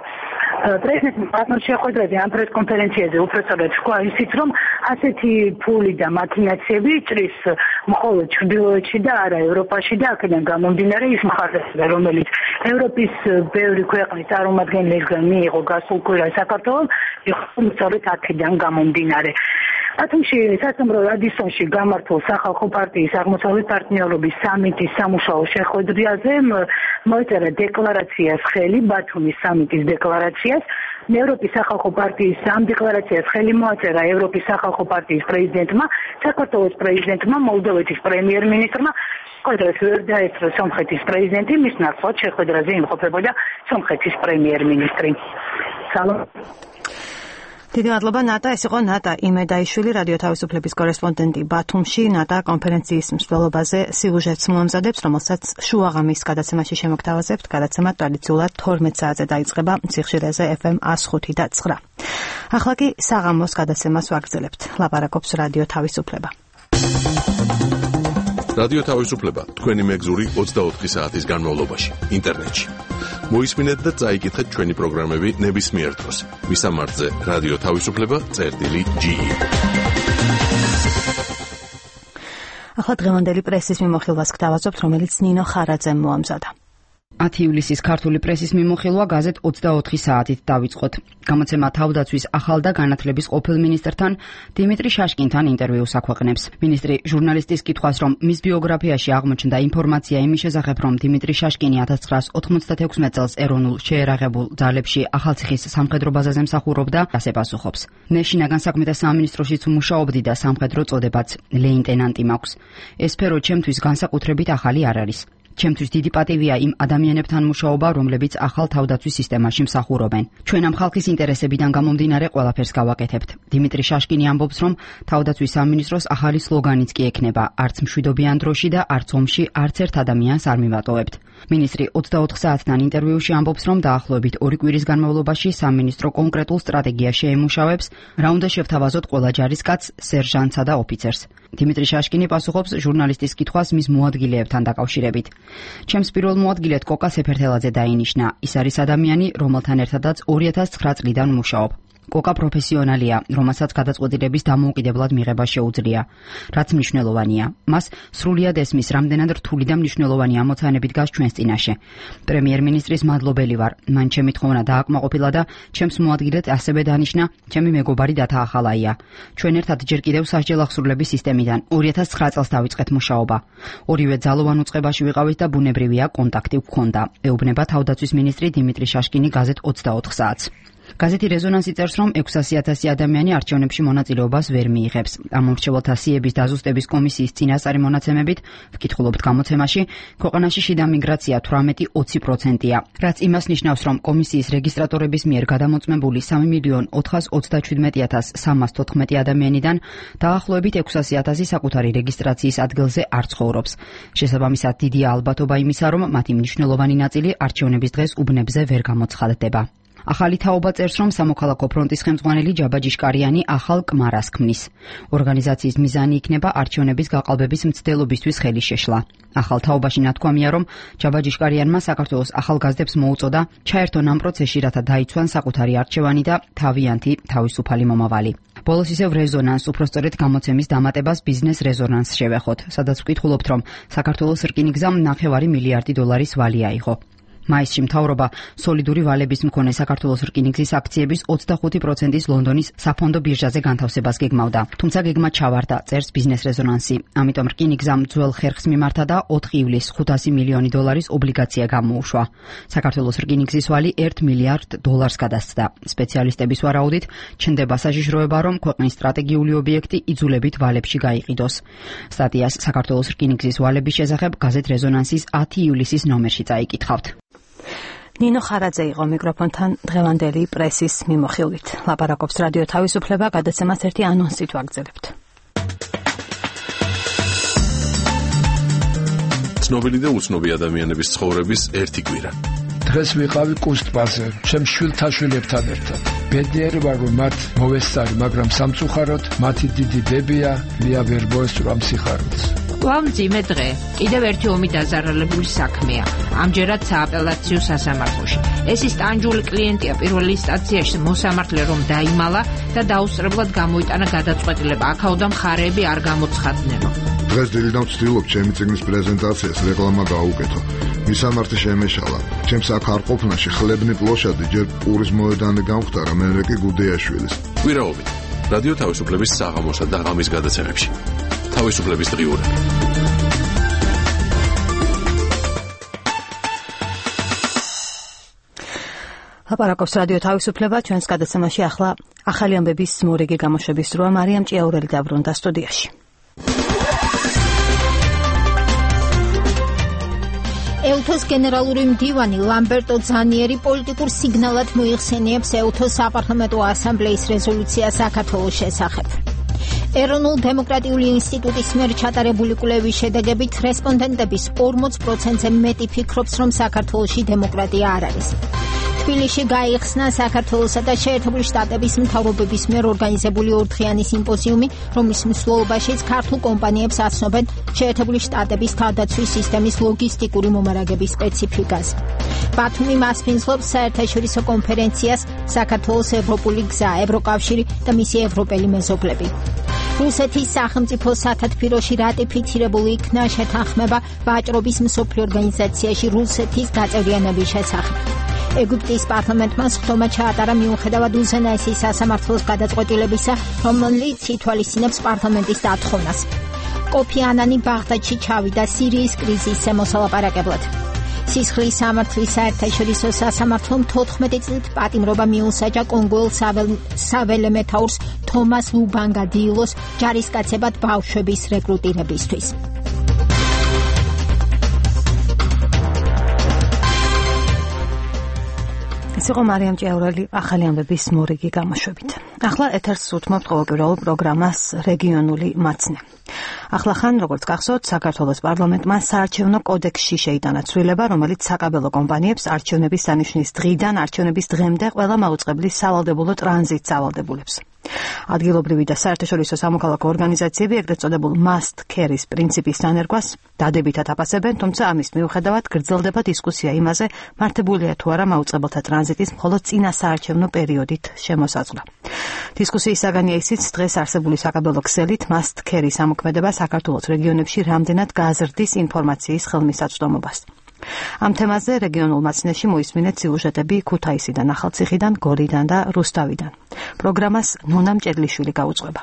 O: პრეზიდენტმა ბათუმში შეხვედრაზე ამ პრესკონფერენციაზე უпростоრად თქვა ისიც, რომ ასეთი ფული და მაქინაციები ჭრის მხოლოდ ჩრდილოეთში და არა ევროპაში და აქედან გამომდინარე ის მხარდაჭერა, რომელიც ევროპის ბევრი ქვეყნის წარმომადგენლებისგან მიიღო გასულ კვირას საქართველოს, იყო სწორედ აქედან გამომდინარე. ბათუმში სასტუმრო რადისონში გამართულ სახალხო პარტიის აღმოსავლეთ პარტნიორობის სამიტის სამუშაო შეხვედრაზე მოეწერა დეკლარაციას ხელი, ბათუმის სამიტის დეკლარაციას. ევროპის სახალხო პარტიის ამ დეკლარაციას ხელი მოაწერა ევროპის სახალხო პარტიის პრეზიდენტმა, საქართველოს პრეზიდენტმა, მოლდოვეთის პრემიერ-მინისტრმა, შეხვედრას ვერ დაესწრო სომხეთის პრეზიდენტი, მის ნაცვლად შეხვედრაზე იმყოფებოდა სომხეთის პრემიერ-მინისტრი. სალამ.
A: დიდი მადლობა ნატა, ეს იყო ნატა იმედაიშვილი, რადიო თავისუფლების კორესპონდენტი ბათუმში. ნატა კონფერენციის მსვლელობაზე სიუჟეტს მოამზადებს, რომელსაც შუაღამის გადაცემაში შემოგთავაზებთ. გადაცემა ტრადიციულად თორმეტ საათზე დაიწყება სიხშირეზე ეფ ემ ას ხუთი და ცხრა. ახლა კი საღამოს გადაცემას ვაგრძელებთ. ლაპარაკობს რადიო თავისუფლება.
H: რადიო თავისუფლება თქვენი მეგზური ოცდაოთხი საათის განმავლობაში ინტერნეტში. მოისმინეთ და წაიკითხეთ ჩვენი პროგრამები ნებისმიერ დროს. მისამართზე რადიო თავისუფლება წერტილი ჯი.
A: ახლა დღევანდელი პრესის მიმოხილვას გთავაზობთ, რომელიც ნინო ხარაძემ მოამზადა.
P: ათი ივლისის ქართული პრესის მიმოხილვა გაზეთ ოცდაოთხი საათით დავიწყოთ. გამოცემა თავდაცვის ახალ და განათლების ყოფილ მინისტრთან დიმიტრი შაშკინთან ინტერვიუს აქვეყნებს. მინისტრი ჟურნალისტის კითხვას, რომ მის ბიოგრაფიაში აღმოჩნდა ინფორმაცია იმის შესახებ, რომ დიმიტრი შაშკინი千九百ოთხმოცდათექვსმეტ წელს ეროვნულ შეერაღებულ ძალებში ახალციხის სამხედრო ბაზაზე მსახურობდა, ასე პასუხობს. მე შინაგან საქმეთა სამინისტროშიც მუშაობდი და სამხედრო წოდებაც ლეიტენანტი მაქვს. ეს სფერო ჩემთვის განსაკუთრებით ახალი არ არის. ჩემთვის დიდი პატივია იმ ადამიანებთან მუშაობა, რომლებიც ახალ თავდაცვის სისტემაში მსახურობენ. ჩვენ ამ ხალხის ინტერესებიდან გამომდინარე ყველაფერს გავაკეთებთ. დიმიტრი შაშკინი ამბობს, რომ თავდაცვის სამინისტროს ახალი სლოგანიც კი ექნება: არც მშვიდობიან დროში და არც ომში არც ერთ ადამიანს არ მივატოვებთ. მინისტრი ოცდაოთხ საათთან ინტერვიუში ამბობს, რომ დაახლოებით ორი კვირის განმავლობაში სამინისტრო კონკრეტულ სტრატეგიას შეემუშავებს, რა უნდა შევთავაზოთ ყველა ჯარისკაცს, სერჟანტსა და ოფიცერს. დიმიტრი შაშკინი პასუხობს ჟურნალისტის კითხვას მის მოადგილეებთან დაკავშირებით. ჩემს პირველ მოადგილედ კოკა სეფერთელაძე დაინიშნა. ის არის ადამიანი, რომელთან ერთადაც ორი ათას ცხრა წლიდან მუშაობ. კოკა პროფესიონალია, რომელსაც გადაწყვეტილების დამოუკიდებლად მიღება შეუძლია, რაც მნიშვნელოვანია. მას სრულიად ესმის, რამდენად რთული და მნიშვნელოვანი ამოცანები დგას ჩვენს წინაშე. პრემიერ-მინისტრის მადლობელი ვარ. მან ჩემი თხოვნა დააკმაყოფილა და ჩემს მოადგილედ ასევე დანიშნა ჩემი მეგობარი დათა ახალაია. ჩვენ ერთად ჯერ კიდევ სასჯელ აღსრულების სისტემიდან ორი ათას ცხრა წელს დავიწყეთ მუშაობა. ორივე ძალოვან უწყებაში ვიყავით და ბუნებრივია კონტაქტი გვქონდა. ეუბნება თავდაცვის მინისტრი დიმიტრი შაშკინი გაზეთ ოცდაოთხ საათს. გაზეთი რეზონანსი წერს, რომ ექვსასი ათასი ადამიანი არჩევნებში მონაწილეობას ვერ მიიღებს. ამ მორჩეველთა სიების დაზუსტების კომისიის წინასწარი მონაცემებით, ვკითხულობთ გამოცემაში, ქვეყანაში შიდა მიგრაცია თვრამეტი ოცი პროცენტია, რაც იმას ნიშნავს, რომ კომისიის რეგისტრატორების მიერ გადამოწმებული სამი მილიონ ოთხას ოცდაჩვიდმეტი ათას სამას თოთხმეტი ადამიანიდან დაახლოებით ექვსასი ათასი საკუთარი რეგისტრაციის ადგილზე არ ცხოვრობს. შესაბამისად, დიდია ალბათობა იმისა, რომ მათი მნიშვნელოვანი ნაწილი არჩევნების დღეს უბნებზე ვერ გამოცხადდება. ახალი თაობა წერს, რომ სამოქალაქო ფრონტის ხელმძღვანელი ჯაბა ჯიშკარიანი ახალ კმარას ქმნის. ორგანიზაციის მიზანი იქნება არჩევნების გაყალბების მცდელობისთვის ხელის შეშლა. ახალ თაობაში ნათქვამია, რომ ჯაბა ჯიშკარიანმა საქართველოს ახალგაზრდებს მოუწოდა ჩაერთონ ამ პროცესში, რათა დაიცვან საკუთარი არჩევანი და თავიანთი თავისუფალი მომავალი. ბოლოს ისევ რეზონანს, უпростоრეთ გამოცემის დამატებას ბიზნეს რეზონანს შევეხოთ, სადაც ვკითხულობთ, რომ საქართველოს რკინიგზამ ნახევარი მილიარდი დოლარის ვალი აიღო. მაისში მთავრობა სოლიდური ვალების მქონე საქართველოს რკინიგზის აქციების ოცდახუთი პროცენტის ლონდონის საფონდო ბირჟაზე განთავსებას გეგმავდა. თუმცა გეგმა ჩავარდა, წერს ბიზნეს რეზონანსი. ამიტომ რკინიგზამ ძველ ხერხს მიმართა და ოთხი ივლისს ხუთასი მილიონი დოლარის ობლიგაცია გამოუშვა. საქართველოს რკინიგზის ვალი ერთ მილიარდ დოლარს გადასცდა. სპეციალისტების ვარაუდით, ჩნდება საშიშროება, რომ ქვეყნის სტრატეგიული ობიექტი იძულებით ვალებში გაიყიდოს. სტატიას საქართველოს რკინიგზის ვალების შესახებ გაზეთ რეზონანსის ათი ივლისის ნომერში წაიკითხავთ. ნინო ხარაძე იყო მიკროფონთან დღევანდელი პრესის მიმოხილვით. ლაპარაკობს რადიო თავისუფლება, გადაცემას ერთი ანონსით ვაგრძელებთ.
H: ცნობილი და უცნობი ადამიანების ცხოვრების ერთი კვირა.
Q: დღეს ვიყავი კუს ტბაზე, ჩემ შვილთა შვილებთან ერთად. ბედნიერი ვარ, რომ მათ მოვესწარი, მაგრამ სამწუხაროდ მათი დიდი დებია მია ვერ მოესწრო ამ სიხარულს.
R: ვამძიმე დღე, კიდევ ერთი ომი დაზარალებული საქმეა. ამჯერად სააპელაციო სასამართლოში. ეს ის ტანჯული კლიენტია პირველი ინსტანციაში მოსამართლე რომ დაიმალა და დაუსწრებლად გამოიტანა გადაწყვეტილება. აქაოდა მხარეები არ გამოცხადნენო.
S: დღეს დილიდან ვცდილობ ჩემი წიგნის პრეზენტაციას რეკლამა გაუკეთო. მისამართი შემეშალა. ჩემს აქ არ ყოფნაში ხლებნი პლოშადი ჯერ პურის მოედანი გამختარა, მერე კი გუდეაშვილის.
H: კვირაობით რადიო თავისუფლების საღამოსა და ღამის გადაცემებში. თავისუფლების დღიურები.
A: ლაპარაკობს რადიო თავისუფლება, ჩვენს გადაცემაში ახლა ახალი ამბების მორიგი გამოშვების დროა. მარიამ ჭიაურელი დაბრუნდა სტუდიაში.
B: ეუთოს გენერალური მდივანი ლამბერტო ძანიერი პოლიტიკურ სიგნალად მოიხსენიებს ეუთოს საპარლამენტო ასამბლეის რეზოლუციას საქართველოს შესახებ. ეროვნულ დემოკრატიული ინსტიტუტის მიერ ჩატარებული კვლევის შედეგებით რესპონდენტების ორმოც პროცენტზე მეტი ფიქრობს, რომ საქართველოში დემოკრატია არ არის. თბილისში გაიხსნა საქართველოსა და შეერთებული შტატების მთავრობების მიერ ორგანიზებული ორდღიანი სიმპოზიუმი, რომლის მსვლელობაშიც ქართულ კომპანიებს აცნობენ შეერთებული შტატების თავდაცვის სისტემის ლოგისტიკური მომარაგების სპეციფიკას. ბათუმი მასპინძლობს საერთაშორისო კონფერენციას საქართველოს ევროპული გზა, ევროკავშირი და მისი ევროპელი მეზობლები. რუსეთის სახელმწიფო სათათბიროში რატიფიცირებული იქნა შეთანხმება ვაჭრობის მსოფლიო ორგანიზაციაში რუსეთის გაწევრიანების შესახებ. ეგვიპტის პარლამენტმა სხდომა ჩაატარა მიუხედავად უზენაესი სასამართლოს გადაწყვეტილებისა, რომელიც ითვალისწინებს პარლამენტის დათხოვნას. კოფი ანანი ბაღდადში ჩავიდა სირიის კრიზისზე მოსალაპარაკებლად. სისხლის სამართლის საერთაშორისო სასამართლომ თოთხმეტი წლით პატიმრობა მიუსაჯა კონგოელ საველე მეთაურს თომას ლუბანგა დილოს ჯარისკაცებად ბავშვების რეკრუტირებისთვის.
A: ეს იყო მარიამ ჭიაურელი ახალი ამბების მორიგი გამოშვებით. ახლა ეთერს უთმობთ ყოველკვირეულ პროგრამას რეგიონული მაცნე. ახლახან, როგორც გახსოვთ, საქართველოს პარლამენტმა საარჩევნო კოდექსში შეიტანა ცვლილება, რომელიც საკაბელო კომპანიებს არჩევნების დანიშნვის დღიდან არჩევნების დღემდე ყველა მაუწყებლის სავალდებულო ტრანზიტს ავალდებულებს. ადგილობრივი და საერთაშორისო სამოქალაქო ორგანიზაციები ეგრეთ წოდებულ must carry-ს პრინციპის დანერგვას დადებითად აფასებენ, თუმცა ამის მიუხედავად გრძელდება დისკუსია იმაზე, მართებულია თუ არა მაუწყებელთა ტრანზიტის მხოლოდ წინა საარჩევნო პერიოდით შემოსაზღვრა. დისკუსიის საგანია ისიც, დღეს არსებული საკაბელო ქსელით must carry სამოქმედება საქართველოს რეგიონებში რამდენად გააზრდის ინფორმაციის ხელმისაწვდომობას. ამ თემაზე რეგიონულ მაცნეში მოისმინეთ სიუჟეტები ქუთაისიდან, ახალციხიდან, გორიდან და რუსთავიდან. პროგრამას ნონა მჭედლიშვილი გაუძღვება.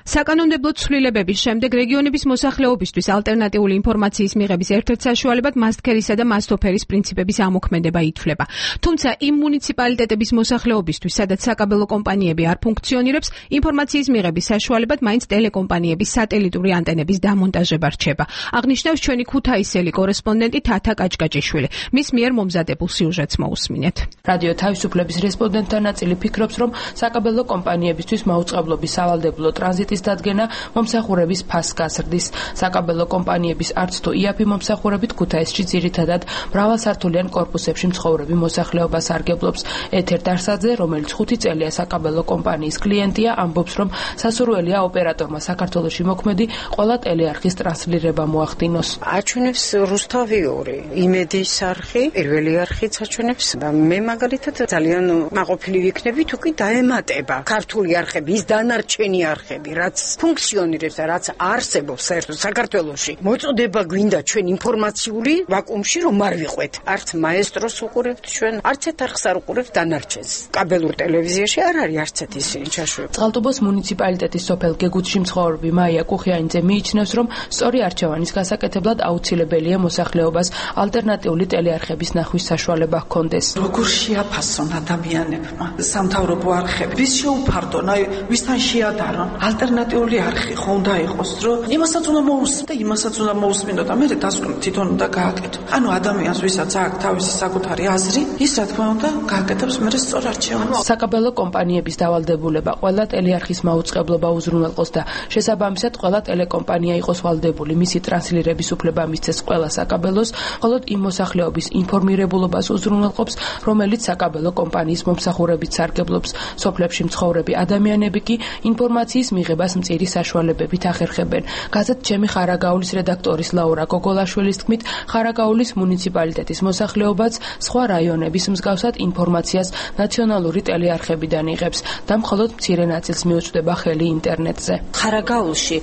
J: საკანონმდებლო ცვლილებების შემდეგ რეგიონების მოსახლეობისთვის ალტერნატიული ინფორმაციის მიღების ერთ-ერთ საშუალებად მასტქერისა და მასტოფერის პრინციპების ამოქმედება ითვლება. თუმცა იმ მუნიციპალიტეტების მოსახლეობისთვის, სადაც საკაბელო კომპანიები არ ფუნქციონირებს, ინფორმაციის მიღების საშუალებად მაინც ტელეკომპანიების სატელიტური ანტენების დამონტაჟება რჩება. აღნიშნავს ჩვენი ქუთაისელი კორესპონდენტი თათა კაჭკაჭიშვილი. მის მიერ მომზადებულ სიუჟეტს მოусმინეთ.
T: რადიო თავისუფლების რესპონდენტთა ნაწილი ფიქრობს, რომ საკაბელო კომპანიებისთვის მაუწყებლობის სავალდებულო ტრანზიტის დადგენა მომსახურების ფასს გაზრდის. საკაბელო კომპანიების არც თუ იაფი მომსახურებით ქუთაისში ძირითადად მრავალსართულიან კორპუსებში მცხოვრები მოსახლეობას არგებლობს. ეთერ დარსაძე, რომელიც ხუთი წელია საკაბელო კომპანიის კლიენტია, ამბობს, რომ სასურველია ოპერატორმა საქართველოში მოქმედი ყველა ტელეარხის ტრანსლირება მოახდინოს.
U: აჩვენებს რუსთავი ორი, იმედის არხი, პირველი არხიც აჩვენებს და მე მაგალითად ძალიან მაყოფილი ვიქნები თუ კი დაემატება ქართული არხები, ის დანარჩენი არხები, რაც ფუნქციონირებს და რაც არსებობს საერთოდ საქართველოში. მოწოდება გვინდა ჩვენ ინფორმაციული ვაკუუმში რომ არ ვიყვეთ. არც მაესტროს უყურებთ ჩვენ, არც ერთ არხს არ უყურებთ დანარჩენს. კაბელურ ტელევიზიაში არ არის არც ერთ ისინი ჩაშვებული.
T: წყალტუბოს მუნიციპალიტეტის სოფელ გეგუთში მცხოვრები მაია კუხიანიძე მიიჩნევს, რომ სწორი არჩევანის გასაკეთებლად აუცილებელია მოსახლეობას ალტერნატიული ტელეარხების ნახვის საშუალება ჰქონდეს.
V: როგორ შეაფასონ ადამიანებმა სამთავრობო არხები? ვის შეუფარდონ, აი ვისთან შეადარონ? ალტერნატიული არხი ხო უნდა იყოს, რომ იმასაც უნდა მოусმინო და იმასაც უნდა მოусმინო და მე დასკვნით თვითონ უნდა გააკეთო. ანუ ადამიანს ვისაც აქვს თავისი საკუთარი აზრი, ის რა თქმა უნდა გააკეთებს მე სწორ არჩევანს.
T: საკაბელო კომპანიების დავალდებულება ყველა ტელეარხის მაუწყებლობა უზრუნველყოს და შესაბამისად ყველა ტელეკომპანია იყოს ვალდებული მისი ტრანსლირების უფლება მისცეს ყველა საკაბელოს, მხოლოდ იმ მოსახლეობის ინფორმირებულობას უზრუნველყოფს, რომელიც საკაბელო კომპანიის მომსახურებით სარგებლობს. სოფლებში მცხოვრები ადამიანები კი ინფორმაციის მიღებას მწირი საშუალებებით ახერხებენ. გაზეთ ჩემი ხარაგაულის რედაქტორის ლაურა გოგოლაშვილის თქმით, ხარაგაულის მუნიციპალიტეტის მოსახლეობაც სხვა რაიონების მსგავსად ინფორმაციას ნაციონალური ტელეარხებიდან იღებს და მხოლოდ მცირე ნაწილს მიუწვდება ხელი ინტერნეტზე.
W: ხარაგაულში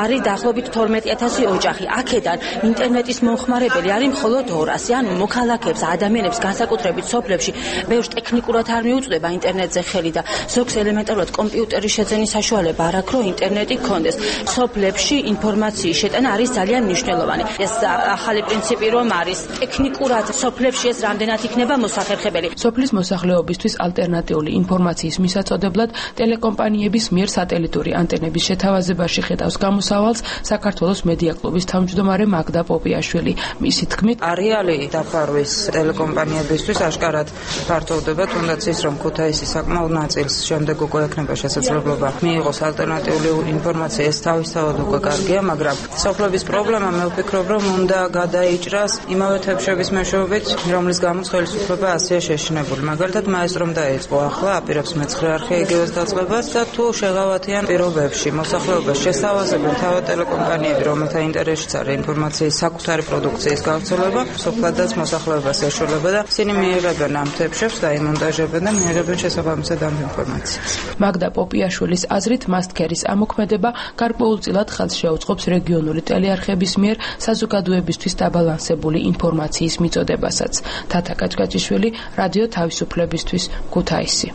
W: არის დაახლოებით თორმეტი ათასი ოჯახი. აქედან ინტერნეტის მომხმარებელი არის მხოლოდ ორასი. ანუ მოქალაქეებს, ადამიანებს განსაკუთრებით სოფლებში ბევრს ტექნიკურად არ მიუწვდება ინტერნეტზე ხელი და ზოგს ელემენტარულად კომპიუტერის შეძენის საშუალება არ აქვს, რომ ინტერნეტი გქონდეს. სოფლებში ინფორმაციის შეტანა არის ძალიან მნიშვნელოვანი. ეს ახალი პრინციპი რომ არის ტექნიკურად სოფლებში ეს რამდენად იქნება მოსახერხებელი.
T: სოფლის მოსახლეობისთვის ალტერნატიული ინფორმაციის მისაწოდებლად ტელეკომპანიების მიერ სატელიტური ანტენების შეთავაზებაში ხედავს გამოსავალს საქართველოს მედია კლუბის თავმჯდომარე მაგდა პოპიაშვილი. მისი თქმით,
X: არეალი დაფარვის ტელეკომპანიებისთვის აშკარად ფართოვდება, თუნდაც ის რომ ქუთაისის საკმაოდ ნაწილს შემდეგ უკვე ექნება შესაძლებლობა მიიღოს ალტერნატიული ალტერნატიული ინფორმაცია ეს თავისთავად უკვე კარგია, მაგრამ სოფლების პრობლემა მე ვფიქრობ, რომ უნდა გადაიჭრას იმავე თებშების მეშვეობით, რომლის გამოც ხელისუფლება ასეა შეშინებული. მაგალითად, მაესტრომ დაიწყო ახლა აპირებს მეცხრე არქეიგივეს დაწყებას და თუ შეღავათიან პირობებში მოსახლეობას შესთავაზებენ თავად ტელეკომპანიები, რომელთა ინტერესშიც არის ინფორმაციის საკუთარი პროდუქციის გავრცელება, სოფლადაც მოსახლეობას ეშველება და ისინი მიიღებენ ამ თებშებს და იმონტაჟებენ და მიიღებენ შესაბამისად ამ ინფორმაციას.
T: მაგდა პოპიაშვილის აზრით, მასტქერის ამოქმედება გარკვეულწილად ხელს შეუწყობს რეგიონული ტელეარხების მიერ საზოგადოებისთვის დაბალანსებული ინფორმაციის მიწოდებასაც. თათა კაჭკაჭიშვილი, რადიო თავისუფლებისთვის, ქუთაისი.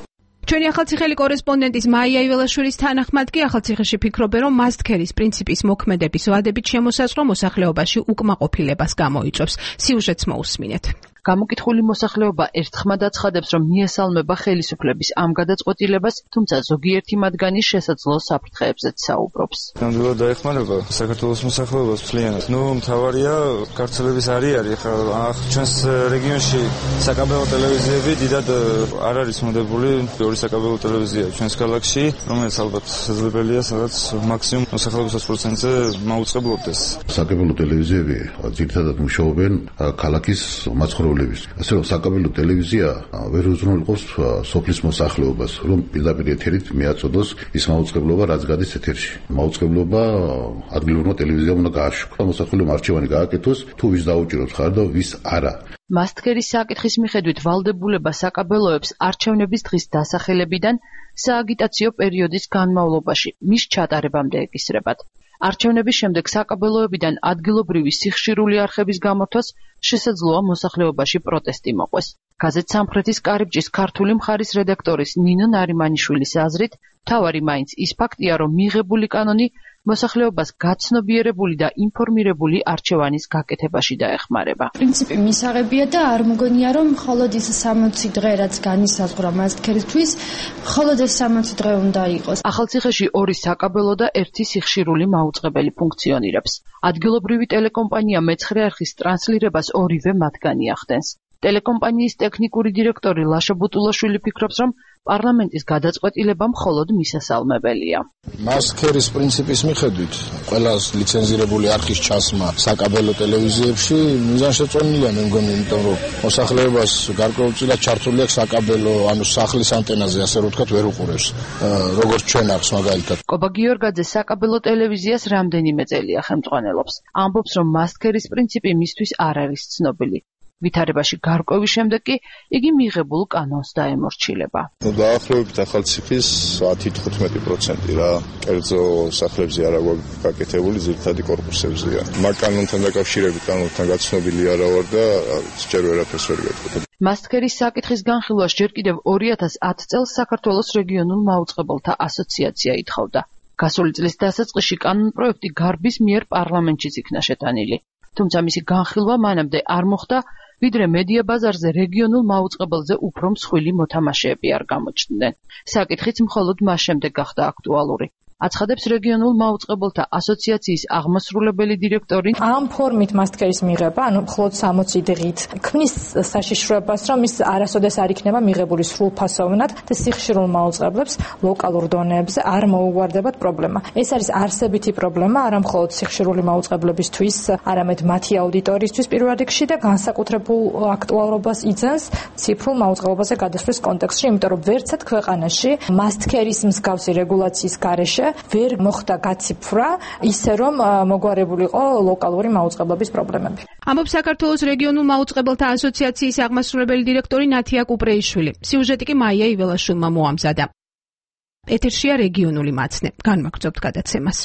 J: ჩვენი ახალციხელი კორესპონდენტის მაია იველაშვილის თანახმად კი ახალციხეში ფიქრობენ, რომ მასტქერის პრინციპის მოქმედების ვადებით შემოსაზღვრა მოსახლეობაში უკმაყოფილებას გამოიწვევს. სიუჟეტს მოусმინეთ.
E: გამოკითხული მოსახლეობა ერთხმად აცხადებს, რომ მიესალმება ხელისუფლების ამ გადაწყვეტილებას, თუმცა ზოგიერთი მათგანი შესაძლო საფრთხეებზეც საუბრობს.
F: ნამდვილად დაეხმარება საქართველოს მოსახლეობას მთლიანად. ნუ მთავარია გავრცელების არეალი. ხა ჩვენს რეგიონში საკაბელო ტელევიზიები დიდად არ არის მოდებული. ორი საკაბელო ტელევიზია ჩვენს ქალაქში, რომელიც ალბათ შესაძლებელია, სადაც მაქსიმუმ მოსახლეობის ოცი პროცენტზე მაუწყებლობდეს.
G: საკაბელო ტელევიზიები ძირითადად მუშაობენ ქალაქის მაცხოვრებლებს. ასე რომ საკაბელო ტელევიზია ვერ უზრუნველყოფს სოფლის მოსახლეობას, რომ პირდაპირ ეთერით მიაწოდოს ის მაუწყებლობა, რაც გადის ეთერში. მაუწყებლობა ადგილობრივმა ტელევიზიამ უნდა გააშუქოს, მოსახლეობამ არჩევანი გააკეთოს, თუ ვის დაუჭიროთ ხარ და ვის არა.
E: მასტქერის საკითხის მიხედვით ვალდებულება საკაბელოებს არჩევნების დღის დასახელებიდან სააგიტაციო პერიოდის განმავლობაში მის ჩატარებამდე ეკისრებათ. არჩევნების შემდეგ საკაბელოებიდან ადგილობრივი სიხშირული არხების გამართვას შესაძლოა მოსახლეობაში პროტესტი მოყვეს. გაზეთ სამხრეთის კარიბჭის ქართული მხარის რედაქტორის ნინო ნარიმანიშვილის აზრით, მთავარი მაინც ის ფაქტია, რომ მიღებული კანონი მოსახლეობას გაცნობიერებული და ინფორმირებული არჩევანის გაკეთებაში დაეხმარება.
K: პრინციპი მისაღებია და არ მგონია, რომ მხოლოდ ის სამოცი დღე, რაც განისაზღვრა მასტქერისთვის, მხოლოდ ეს სამოცი დღე უნდა იყოს.
E: ახალციხეში ორი საკაბელო და ერთი სიხშირული მაუწყებელი ფუნქციონირებს. ადგილობრივი ტელეკომპანია მეცხრე არხის ტრანსლირებას ორივე მათგანი ახდენს. ტელეკომპანიის ტექნიკური დირექტორი ლაშა ბუტულაშვილი ფიქრობს, რომ პარლამენტის გადაწყვეტილება მხოლოდ მისასალმებელია.
Y: მასტქერის პრინციპის მიხედვით, ყველა ლიცენზირებული არხის ჩასმა საკაბელო ტელევიზიებში მიზანშეწონილია, მე მგონი, იმიტომ რომ მოსახლეობას გარკვეულწილად ჩართული აქვს საკაბელო, ანუ სახლის ანტენაზე, ასე რომ ვთქვათ, ვერ უყურებს, როგორც ჩვენ აქვს მაგალითად.
E: კობა გიორგაძე საკაბელო ტელევიზიას რამდენიმე წელია ხელმძღვანელობს. ამბობს, რომ მასტქერის პრინციპი მისთვის არ არის ცნობილი. ვითარებაში გარკვევის შემდეგ კი იგი მიღებულ კანონს დაემორჩილება.
Y: დაახლოებით ახალციხის ათი თხუთმეტი პროცენტი რა კერძო სახლებზე არა გაკეთებული, ძირითადი კორპუსებზეა. მაგ კანონთან დაკავშირებით კანონთან გაცნობილი არა ვარ და სჯერ ვერაფერს ვერ გეტყვი.
E: მასტქერის საკითხის განხილვას ჯერ კიდევ ორი ათას ათი წელს საქართველოს რეგიონულ მაუწყებელთა ასოციაცია ითხოვდა. გასული წლის დასაწყისში კანონპროექტი გარბის მიერ პარლამენტშიც იქნა შეტანილი. თუმცა მისი განხილვა მანამდე არ მოხდა, ვიდრე მედია ბაზარზე რეგიონულ მაუწყებელზე უფრო მსხვილი მოთამაშეები არ გამოჩნდნენ. საკითხიც მხოლოდ მას შემდეგ გახდა აქტუალური. აცხადებს რეგიონულ მაუწყებელთა ასოციაციის აღმასრულებელი დირექტორი.
K: ამ ფორმით მასტქერის მიღება, ანუ მხოლოდ სამოცი დღით, ქმნის საშიშროებას, რომ ის არასოდეს არ იქნება მიღებული სრულფასოვნად და სიხშირულ მაუწყებლებს ლოკალურ დონეებზე არ მოუგვარდებათ პრობლემა. ეს არის არსებითი პრობლემა, არა მხოლოდ სიხშირული მაუწყებლებისთვის, არამედ მათი აუდიტორიისთვის პირველ რიგში და განსაკუთრებულ აქტუალობას იძენს ციფრულ მაუწყებლობაზე გადასვლის კონტექსტში, იმიტომ რომ ვერცად ქვეყანაში მასტქერის მსგავსი რეგულაციის გარეშე ვერ მოხდა გაციფრა ისე რომ მოგვარებულიყო ლოკალური მაუწყებლობის პრობლემები.
J: ამბობს საქართველოს რეგიონულ მაუწყებელთა ასოციაციის აღმასრულებელი დირექტორი ნათია კუპრეიშვილი. სიუჟეტი კი მაია იველაშვილმა მოამზადა. ეთერშია რეგიონული მაცნე. განმაგრძობთ გადაცემას.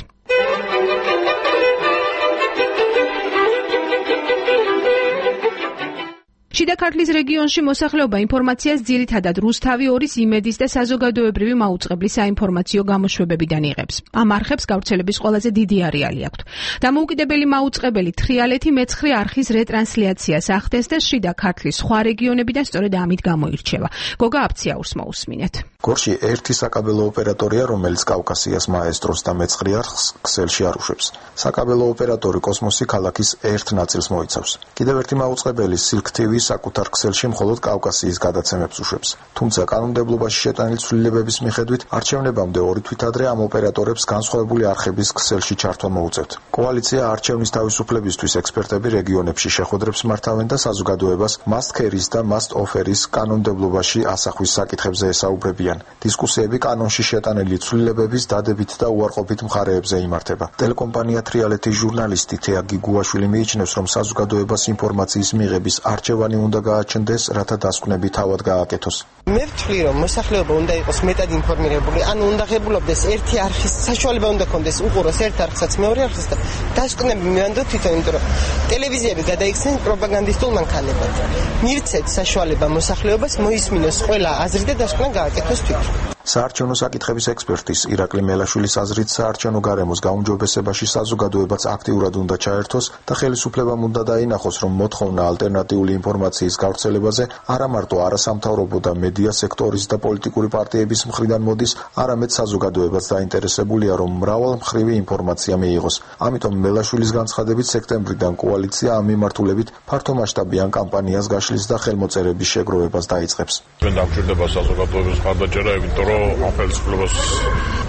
J: შიდა ქართლის რეგიონში მოსახლეობა ინფორმაციას ძირითადად რუსთავი ორის იმედის და საზოგადოებრივი მაუწყებლის საინფორმაციო გამოშვებებიდან იღებს. ამ არხებს გავრცელების ყველაზე დიდი არეალი აქვთ. დამოუკიდებელი მაუწყებელი თრიალეთი მეცხრე არხის რეტრანსლიაციას ახდენს და შიდა ქართლის სხვა რეგიონებიდან სწორედ ამით გამოირჩევა. გოგა აფციაურს მოусმინეთ.
C: გორში ერთი საკაბელო ოპერატორია, რომელიც კავკასიას მაესტროს და მეცხრე არხს ქსელში არუშვებს. საკაბელო ოპერატორი კოსმოსი ქალაქის ერთ ნაწილს მოიცავს. კიდევ ერთი მაუწყებელი Silk T V საკუთარ ქსელში მხოლოდ კავკასიის გადაცემებს უშვებს. თუმცა კანონმდებლობაში შეტანილი ცვლილებების მიხედვით არჩევნებამდე ორი თვით ადრე ამ ოპერატორებს განსხვავებული არხების ქსელში ჩართვა მოუწევთ. კოალიცია არჩევნის თავისუფლებისთვის ექსპერტები რეგიონებში შეხვედრებს მართავენ და საზოგადოებას Must Carry-ის და Must Offer-ის კანონმდებლობაში ასახვის საკითხებზე ესაუბრებიან. დისკუსიები კანონში შეტანილი ცვლილებების დადებით და უარყოფით მხარეებზე იმართება. ტელეკომპანია თრიალეთის ჟურნალისტი თეა გიგუაშვილი მიიჩნევს, რომ საზოგადოებას ინფორმაციის მიღების არჩევანი უნდა გააჩნდეს, რათა დასკვნები თავად გააკეთოს.
D: მე ვთვლი, რომ მოსახლეობა უნდა იყოს მეტად ინფორმირებული, ანუ უნდა ღებულობდეს ერთი არხის საშუალება უნდა ქონდეს უყუროს ერთ არხსაც მეორე არხს და დასკვნები მივანდოთ თვითონ, იმიტომ რომ ტელევიზიები გადაიქცნენ პროპაგანდისტულ მანქანებად. მივცეთ საშუალება მოსახლეობას მოისმინოს ყველა აზრი და დასკვნა გააკეთოს თვითონ.
C: საარჩევნო საკითხების ექსპერტის ირაკლი მელაშვილის აზრით საარჩევნო გარემოს გაუმჯობესებაში საზოგადოებაც აქტიურად უნდა ჩაერთოს და ხელისუფლებამ უნდა დაინახოს, რომ მოთხოვნა ალტერნატიული ინფორმაციის გავრცელებაზე არა მარტო არასამთავრობო და მედია სექტორის და პოლიტიკური პარტიების მხრიდან მოდის, არამედ საზოგადოებაც დაინტერესებულია, რომ მრავალმხრივი ინფორმაცია მიიღოს. ამიტომ მელაშვილის განცხადებით სექტემბრიდან კოალიცია ამ მიმართულებით ფართომასშტაბიან კამპანიას გაშლის და ხელმოწერების შეგროვებას დაიწყებს.
I: დამჭირდება საზოგადოების მხარდაჭერა, იმიტომ რომ ამ ხელისუფლებას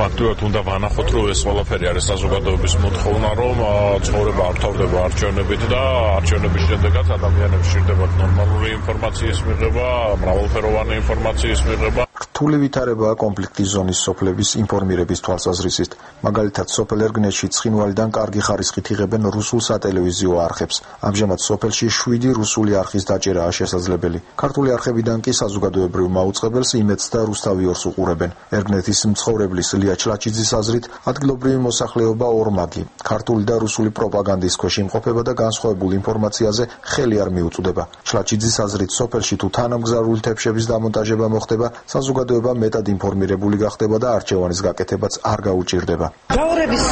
I: აქტიურად უნდა ვანახოთ, რომ ეს ყველაფერი არის საზოგადოების მოთხოვნა, რომ ცხოვრება არ თავდება არჩევნებით და არჩევნების შედეგად ადამიანებს სჭირდებათ ნორმალური ინფორმაციის მიღება, მრავალფეროვანი ინფორმაციის მიღება.
C: რთული ვითარებაა კონფლიქტის ზონის სოფლების ინფორმირების თვალსაზრისით. მაგალითად, სოფელ ერგნეში ცხინვალიდან კარგი ხარისხით იღებენ რუსულ სატელევიზიო არხებს. ამჟამად სოფელში შვიდი რუსული არხის დაჭერაა შესაძლებელი. ქართული არხებიდან კი საზოგადოებრივ მაუწყებელს იმედს და რუსთავიორს უყურებენ. ერგნეთის მცხოვრებლის ლია ჩლაჩიძის აზრით, ადგილობრივი მოსახლეობა ორმაგი, ქართული და რუსული პროპაგანდის ქვეშ იმყოფება და განსხვავებულ ინფორმაციაზე ხელი არ მიუწვდება. ჩლაჩიძის აზრით, სოფელში თუ თანამგზავრული თებშების დამონტაჟება მოხდება, საზოგადოება მეტად ინფორმირებული გახდება და არჩევანის გაკეთებაც არ გაუჭირდება.
U: გაურების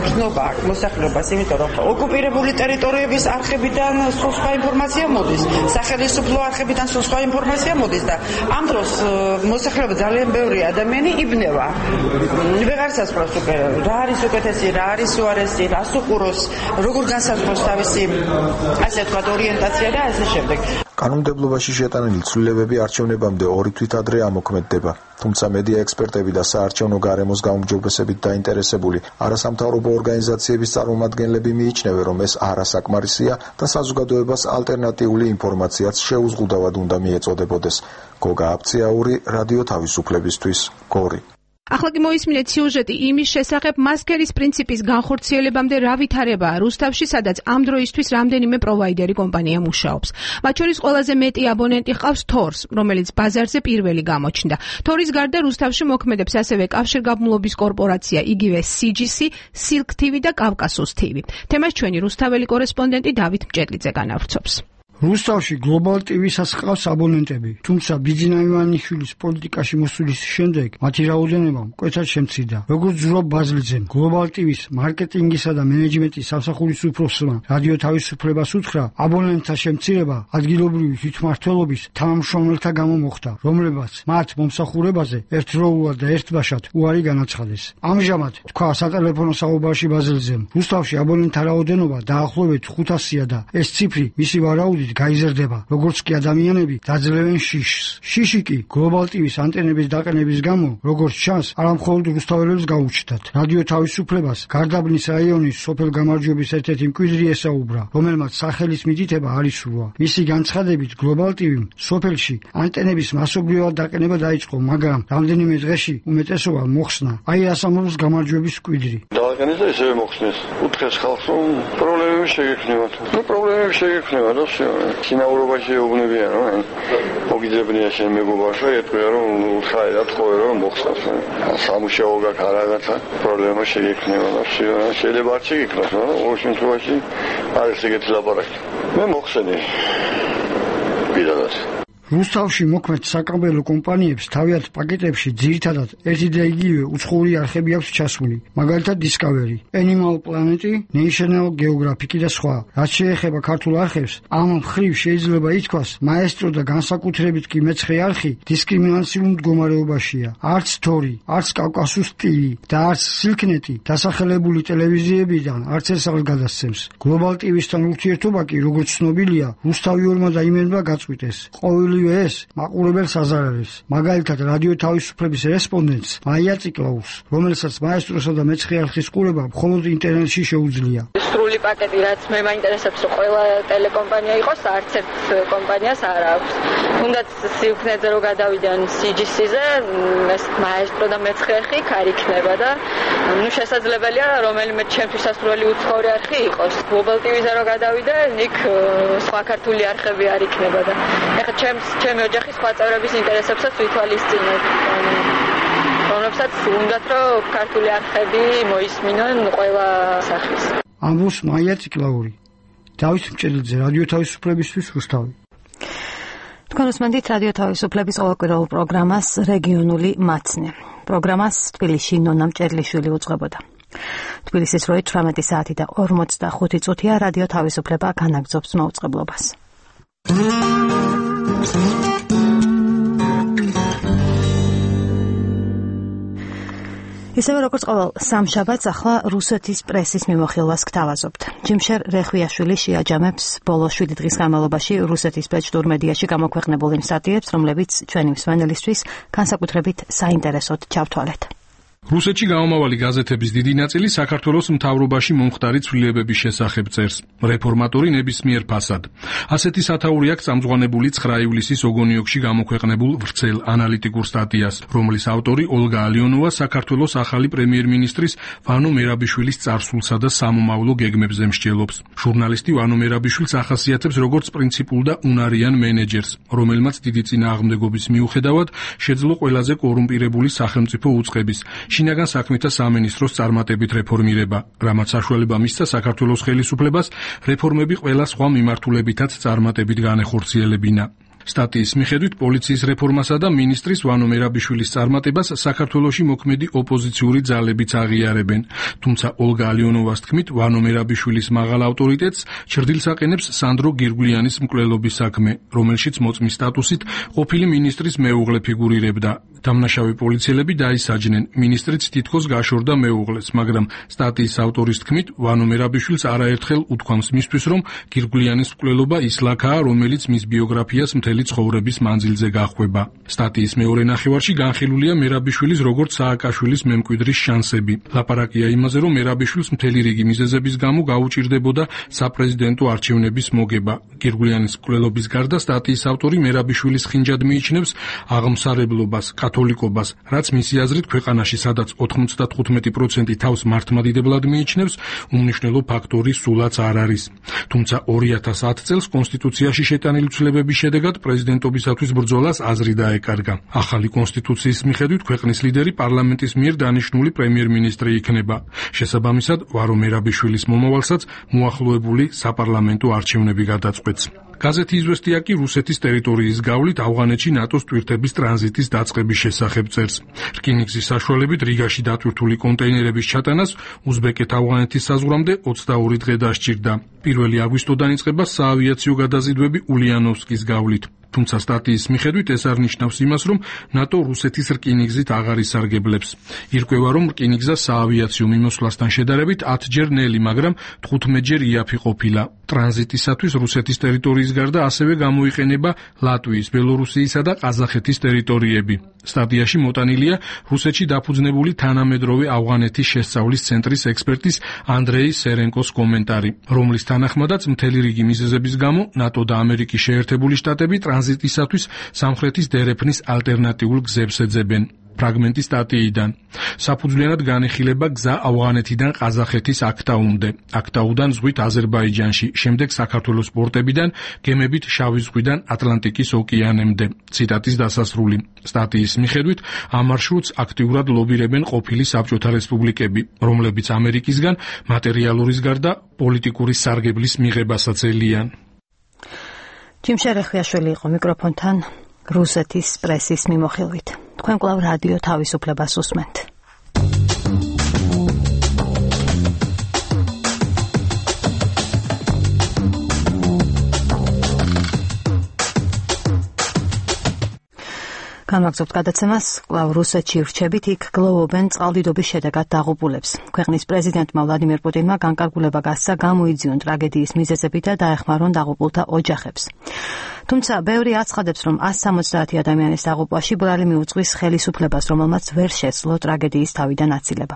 U: გზნობა მოსახლეობას, იმიტომ რომ ოკუპირებული ტერიტორიების არხებიდან სხვა ინფორმაცია მოდის, სახელმწიფო არხებიდან სხვა ინფორმაცია მოდის და ამ დროს მოსახლეობა ძალიან ბევრი ადამიანი იბნევა. ვეღარ სასწრაფოს უკვე რა არის უკეთესი, რა არის უარესი, რას უყუროს, როგორ განსაზღვროს თავისი ასე ვთქვათ ორიენტაცია და ასე შემდეგ.
C: კანონმდებლობაში შეტანილი ცვლილებები არჩევნებამდე ორი თვით ადრე ამოქმედდება. თუმცა მედია ექსპერტები და საარჩევნო გარემოს გაუმჯობესებით დაინტერესებული არასამთავრობო ორგანიზაციების წარმომადგენლები მიიჩნევენ, რომ ეს არასაკმარისია და საზოგადოებას ალტერნატიული ინფორმაციაც შეუზღუდავად უნდა მიეწოდებოდეს. გოგა აფციაური, რადიო თავისუფლებისთვის, გორი.
M: ახლა კი მოისმინეთ სიუჟეტი იმის შესახებ, მასკერის პრინციპის განხორციელებამდე რა ვითარებაა რუსთავში, სადაც ამ დროისთვის რამდენიმე პროვაიდერი კომპანია მუშაობს. მათ შორის ყველაზე მეტი აბონენტი ჰყავს თორს, რომელიც ბაზარზე პირველი გამოჩნდა. თორის გარდა რუსთავში მოქმედებს ასევე კავშირგაბმულობის კორპორაცია, იგივე სი ჯი სი, Silk T V და კავკასუს T V. თემას ჩვენი რუსთაველი კორესპონდენტი დავით მჭედლიძე განავრცობს.
N: რუსთავში გლობალ ტი ვისაც ჰყავს აბონენტები, თუმცა ბიძინა ივანიშვილის პოლიტიკაში მოსulis შემდეგ მათი რაოდენობა მკვეთრად შემცირდა. როგორც ზურაბ ბაზლიძემ, გლობალ ტი ვის მარკეტინგისა და მენეჯმენტის სამსახურის უფროსმა რადიო თავისუფლებას უთხრა, აბონენტთა შემცირება ადგილობრივი თვითმმართველობის თანამშრომელთა გამო მოხდა, რომლებაც მათ მომსახურებაზე ერთდროულად და ერთბაშად უარი განაცხადეს. ამჟამად, თქვა სატელეფონო საუბარში ბაზლიძემ, რუსთავში აბონენტთა რაოდენობა დაახლოებით ხუთასია და ეს ციფრი მისი ვარაუდით გაიზრდება, როგორც კი ადამიანები დაძლევენ შიშს. შიში კი გლობალ ტი ვის ანტენების დაყენების გამო, როგორც ჩანს, არამხოლოდ რუსთაველებს გაუჩნდათ. რადიო თავისუფლებას გარდაბნის რაიონის სოფელ გამარჯვების ერთ-ერთი მკვიდრი ესაუბრა, რომელმაც სახელის მიდითება არ ისურვა. მისი განცხადებით, გლობალ ტი ვიმ სოფელში ანტენების მასობრივად დაყენება დაიწყო, მაგრამ რამდენიმე დღეში უმეტესობა მოხსნა. აი ასამბლოს გამარჯვების მკვიდრი.
Z: დააყენეს და ისევე მოხსნეს. უთხრეს ხალხს, რომ პრობლემები შეგექმნებათ. ნუ პრობლემები შეგექმნება და სინაურობაში ეუბნებიან, რომ მოგიძებნია შენ მეგობარსა, ეტყვია, რომ უთხრა და თქვა, რომ მოხსნას. სამუშაო გაქვს რაღაცა, პრობლემა შეგექმნება და შეიძლება არ შეგექმნას, მაგრამ ორ შემთხვევაში არის ეგეთი ლაპარაკი. მე მოხსენე. პირადად.
N: რუსთავში მოქმედ საკაბელო კომპანიებს თავიანთ პაკეტებში ძირითადად ერთი და იგივე უცხოური არხები აქვს ჩასული, მაგალითად Discovery, Animal Planet, National Geographic და სხვა. რაც შეეხება ქართულ არხებს, ამ მხრივ შეიძლება ითქვას, Maestro და განსაკუთრებით კი მეცხრე არხი დისკრიმინაციულ მდგომარეობაშია. არც თორი, არც კავკასიის სტილი და არც სილკნეტი დასახელებული ტელევიზიებიდან არც ეს არ გადასცემს. Global ტი ვისთან ურთიერთობა კი, როგორც ცნობილია, რუსთავიორმა და იმენმა გაწყვიტეს. ყოველივე ეს მაყურებელს აზარებს. მაგალითად, რადიო თავისუფლების რესპონდენტს მაია ციკლაუს, რომელსაც მაესტროსა და მეცხრე არხის ყურება მხოლოდ ინტერნეტში შეუძლია.
L: სრული პაკეტი, რაც მე მაინტერესებს, რომ ყველა ტელეკომპანია იყოს, არც ერთ კომპანიას არ აქვს. თუნდაც სიუქნეზე რო გადავიდან სი ჯი სი-ზე, ეს მაესტრო და მეცხრე არხი არ იქნება და ნუ შესაძლებელია რომელიმე ჩემთვის ასრული უცხოური არხი იყოს. Global ტი ვიზე რო გადავიდე, იქ სხვა ქართული არხები არ იქნება და ეხლა ჩემს ჩემი ოჯახის სხვა წევრების ინტერესებსაც ვითვალისწინებ. რომლებსაც უნდათ რომ ქართული არხები მოისმინონ ყველა სახის.
N: ამბობს მაია ციკლაური. დავით მჭედლიძე, რადიო თავისუფლებისთვის რუსთავი.
A: თქვენ უსმენთ რადიო თავისუფლების ყოველკვირეულ პროგრამას რეგიონული მაცნე. პროგრამას თბილისში ნონა მჭედლიშვილი უძღვებოდა. თბილისის როი თვრამეტი საათი და ორმოცდახუთი წუთია რადიო თავისუფლება განაგრძობს მოუწყებლობას. ისევე როგორც ყოველ სამშაბათს ახლა რუსეთის პრესის მიმოხილვას გთავაზობთ. ჯიმშერ რეხვიაშვილი შეაჯამებს ბოლო შვიდი დღის განმავლობაში რუსეთის ბეჭდურ მედიაში გამოქვეყნებულ იმ სტატიებს, რომლებიც ჩვენი მსმენელისთვის განსაკუთრებით საინტერესოდ ჩავთვალეთ.
O: რუსეთში გამომავალი გაზეთების დიდი ნაწილი საქართველოს მთავრობაში მომხდარი ცვლილებების შესახებ წერს. რეფორმატორი ნებისმიერ ფასად. ასეთი სათაური აქვს წამძღვანებული ცხრა ივლისის ოგონიოკში გამოქვეყნებულ ვრცელ ანალიტიკურ სტატიას, რომლის ავტორი ოლგა ალიონოვა საქართველოს ახალი პრემიერ-მინისტრის ვანო მერაბიშვილის წარსულსა და სამომავლო გეგმებზე მსჯელობს. ჟურნალისტი ვანო მერაბიშვილს ახასიათებს როგორც პრინციპულ და უნარიან მენეჯერს, რომელმაც დიდი წინააღმდეგობის მიუხედავად შეძლო ყველაზე კორუმპირებული სახელმწიფო უწყების შინაგან საქმეთა სამინისტროს წარმატებით რეფორმირება, რამაც საშუალება მისცა საქართველოს ხელისუფლებას რეფორმები ყველა სხვა მიმართულებითაც წარმატებით განეხორციელებინა. სტატიის მიხედვით პოლიციის რეფორმასა და მინისტრის ვანო მერაბიშვილის წარმატებას საქართველოში მოქმედი ოპოზიციური ძალებიც აღიარებენ. თუმცა ოლგა ალიონოვას თქმით, ვანო მერაბიშვილის მაღალ ავტორიტეტს ჩრდილს აყენებს სანდრო გირგვლიანის მკვლელობის საქმე, რომელშიც მოწმის სტატუსით ყოფილი მინისტრის მეუღლე ფიგურირებდა. დამნაშავე პოლიციელები დაისაჯნენ, მინისტრიც თითქოს გაშორდა მეუღლეს, მაგრამ სტატიის ავტორის თქმით, ვანო მერაბიშვილს არაერთხელ უთქვამს მისთვის, რომ გირგვლიანის მკვლელობა ის ლაქაა, რომელიც მის ბიოგრაფიას მთელი ცხოვრების მანძილზე გახვება. სტატიის მეორე ნახევარში განხილულია მერაბიშვილის როგორც სააკაშვილის მემკვიდრის შანსები. ლაპარაკია იმაზე, რომ მერაბიშვილს მთელი რიგი მიზეზების გამო გაუჭირდებოდა საპრეზიდენტო არჩევნების მოგება. გირგვლიანის მკვლელობის გარდა სტატიის ავტორი მერაბიშვილის ხინჯად მიიჩნევს აღმსარებლობას, კათოლიკობას, რაც მისი აზრით ქვეყანაში, სადაც ოთხმოცდათხუთმეტი პროცენტი თავს მართლმადიდებლად მიიჩნევს, უმნიშვნელო ფაქტორი სულაც არ არის. თუმცა ორი ათას ათ წელს კონსტიტუციაში შეტანილი ცვლილებების შედეგად პრეზიდენტობისათვის ბრძოლას აზრი დაეკარგა. ახალი კონსტიტუციის მიხედვით ქვეყნის ლიდერი პარლამენტის მიერ დანიშნული პრემიერ-მინისტრი იქნება. შესაბამისად, ვარო მერაბიშვილის მომავალსაც მოახლოებული საპარლამენტო არჩევნები გადაწყვეტს. გაზეთი იზვესტია კი რუსეთის ტერიტორიის გავლით ავღანეთში ნატოს ტვირთების ტრანზიტის დაწყების შესახებ წერს. რკინიგზის საშუალებით რიგაში დატვირთული კონტეინერების ჩატანას უზბეკეთ-ავღანეთის საზღვრამდე ოცდაორი დღე დასჭირდა. პირველი აგვისტოდან იწყება საავიაციო გადაზიდვები ულიანოვსკის გავლით. თუმცა სტატიის მიხედვით ეს არ ნიშნავს იმას, რომ ნატო რუსეთის რკინიგზით აღარ ისარგებლებს. ირკვევა, რომ რკინიგზა საავიაციო მიმოსვლასთან შედარებით ათჯერ ნელი, მაგრამ თხუთმეტჯერ იაფი ყოფილა. ტრანზიტისათვის რუსეთის ტერიტორიის გარდა ასევე გამოიყენება ლატვიის, ბელორუსიისა და ყაზახეთის ტერიტორიები. სტატიაში მოტანილია რუსეთში დაფუძნებული თანამედროვე ავღანეთის შესწავლის ცენტრის ექსპერტის ანდრეი სერენკოს კომენტარი, რომლის თანახმადაც მთელი რიგი მიზეზების გამო ნატო და ამერიკის შეერთებული შტატები ტრანზიტისათვის სამხრეთის დერეფნის ალტერნატიულ გზებს ეძებენ. ფრაგმენტი სტატიიდან. საფუძვლიანად განეხილება გზა ავღანეთიდან ყაზახეთის აქტაუნდე, აქტაუდან ზღვით აზერბაიჯანში, შემდეგ საქართველოს პორტებიდან გემებით შავი ზღვიდან ატლანტიკის ოკეანემდე. ციტატის დასასრული. სტატიის მიხედვით, ამ მარშრუტს აქტიურად ლობირებენ ყოფილი საბჭოთა რესპუბლიკები, რომლებიც ამერიკისგან მატერიალურის გარდა პოლიტიკური სარგებლის მიღებასაც ელიან.
A: ჯიმ შერეხიაშვილი იყო მიკროფონთან რუსეთის პრესის მიმოხილვით. თქვენ კვლავ რადიო თავისუფლებას უსმენთ. გამაგზავნებთ გადაცემას, კვლავ რუსეთში რჩებით, იქ გლოვობენ წყალდიდობის შედეგად დაღუპულებს. ქვეყნის პრეზიდენტმა ვლადიმერ პუტინმა განკარგულება გასცა გამოიძიონ ტრაგედიის მიზეზები და დაეხმარონ დაღუპულთა ოჯახებს. თუმცა ბევრი აცხადებს, რომ ას სამოცდაათი ადამიანის დაღუპვაში ბრალი მიუძღვის ხელისუფლებას, რომელმაც ვერ შეძლო ტრაგედიის თავიდან აცილება.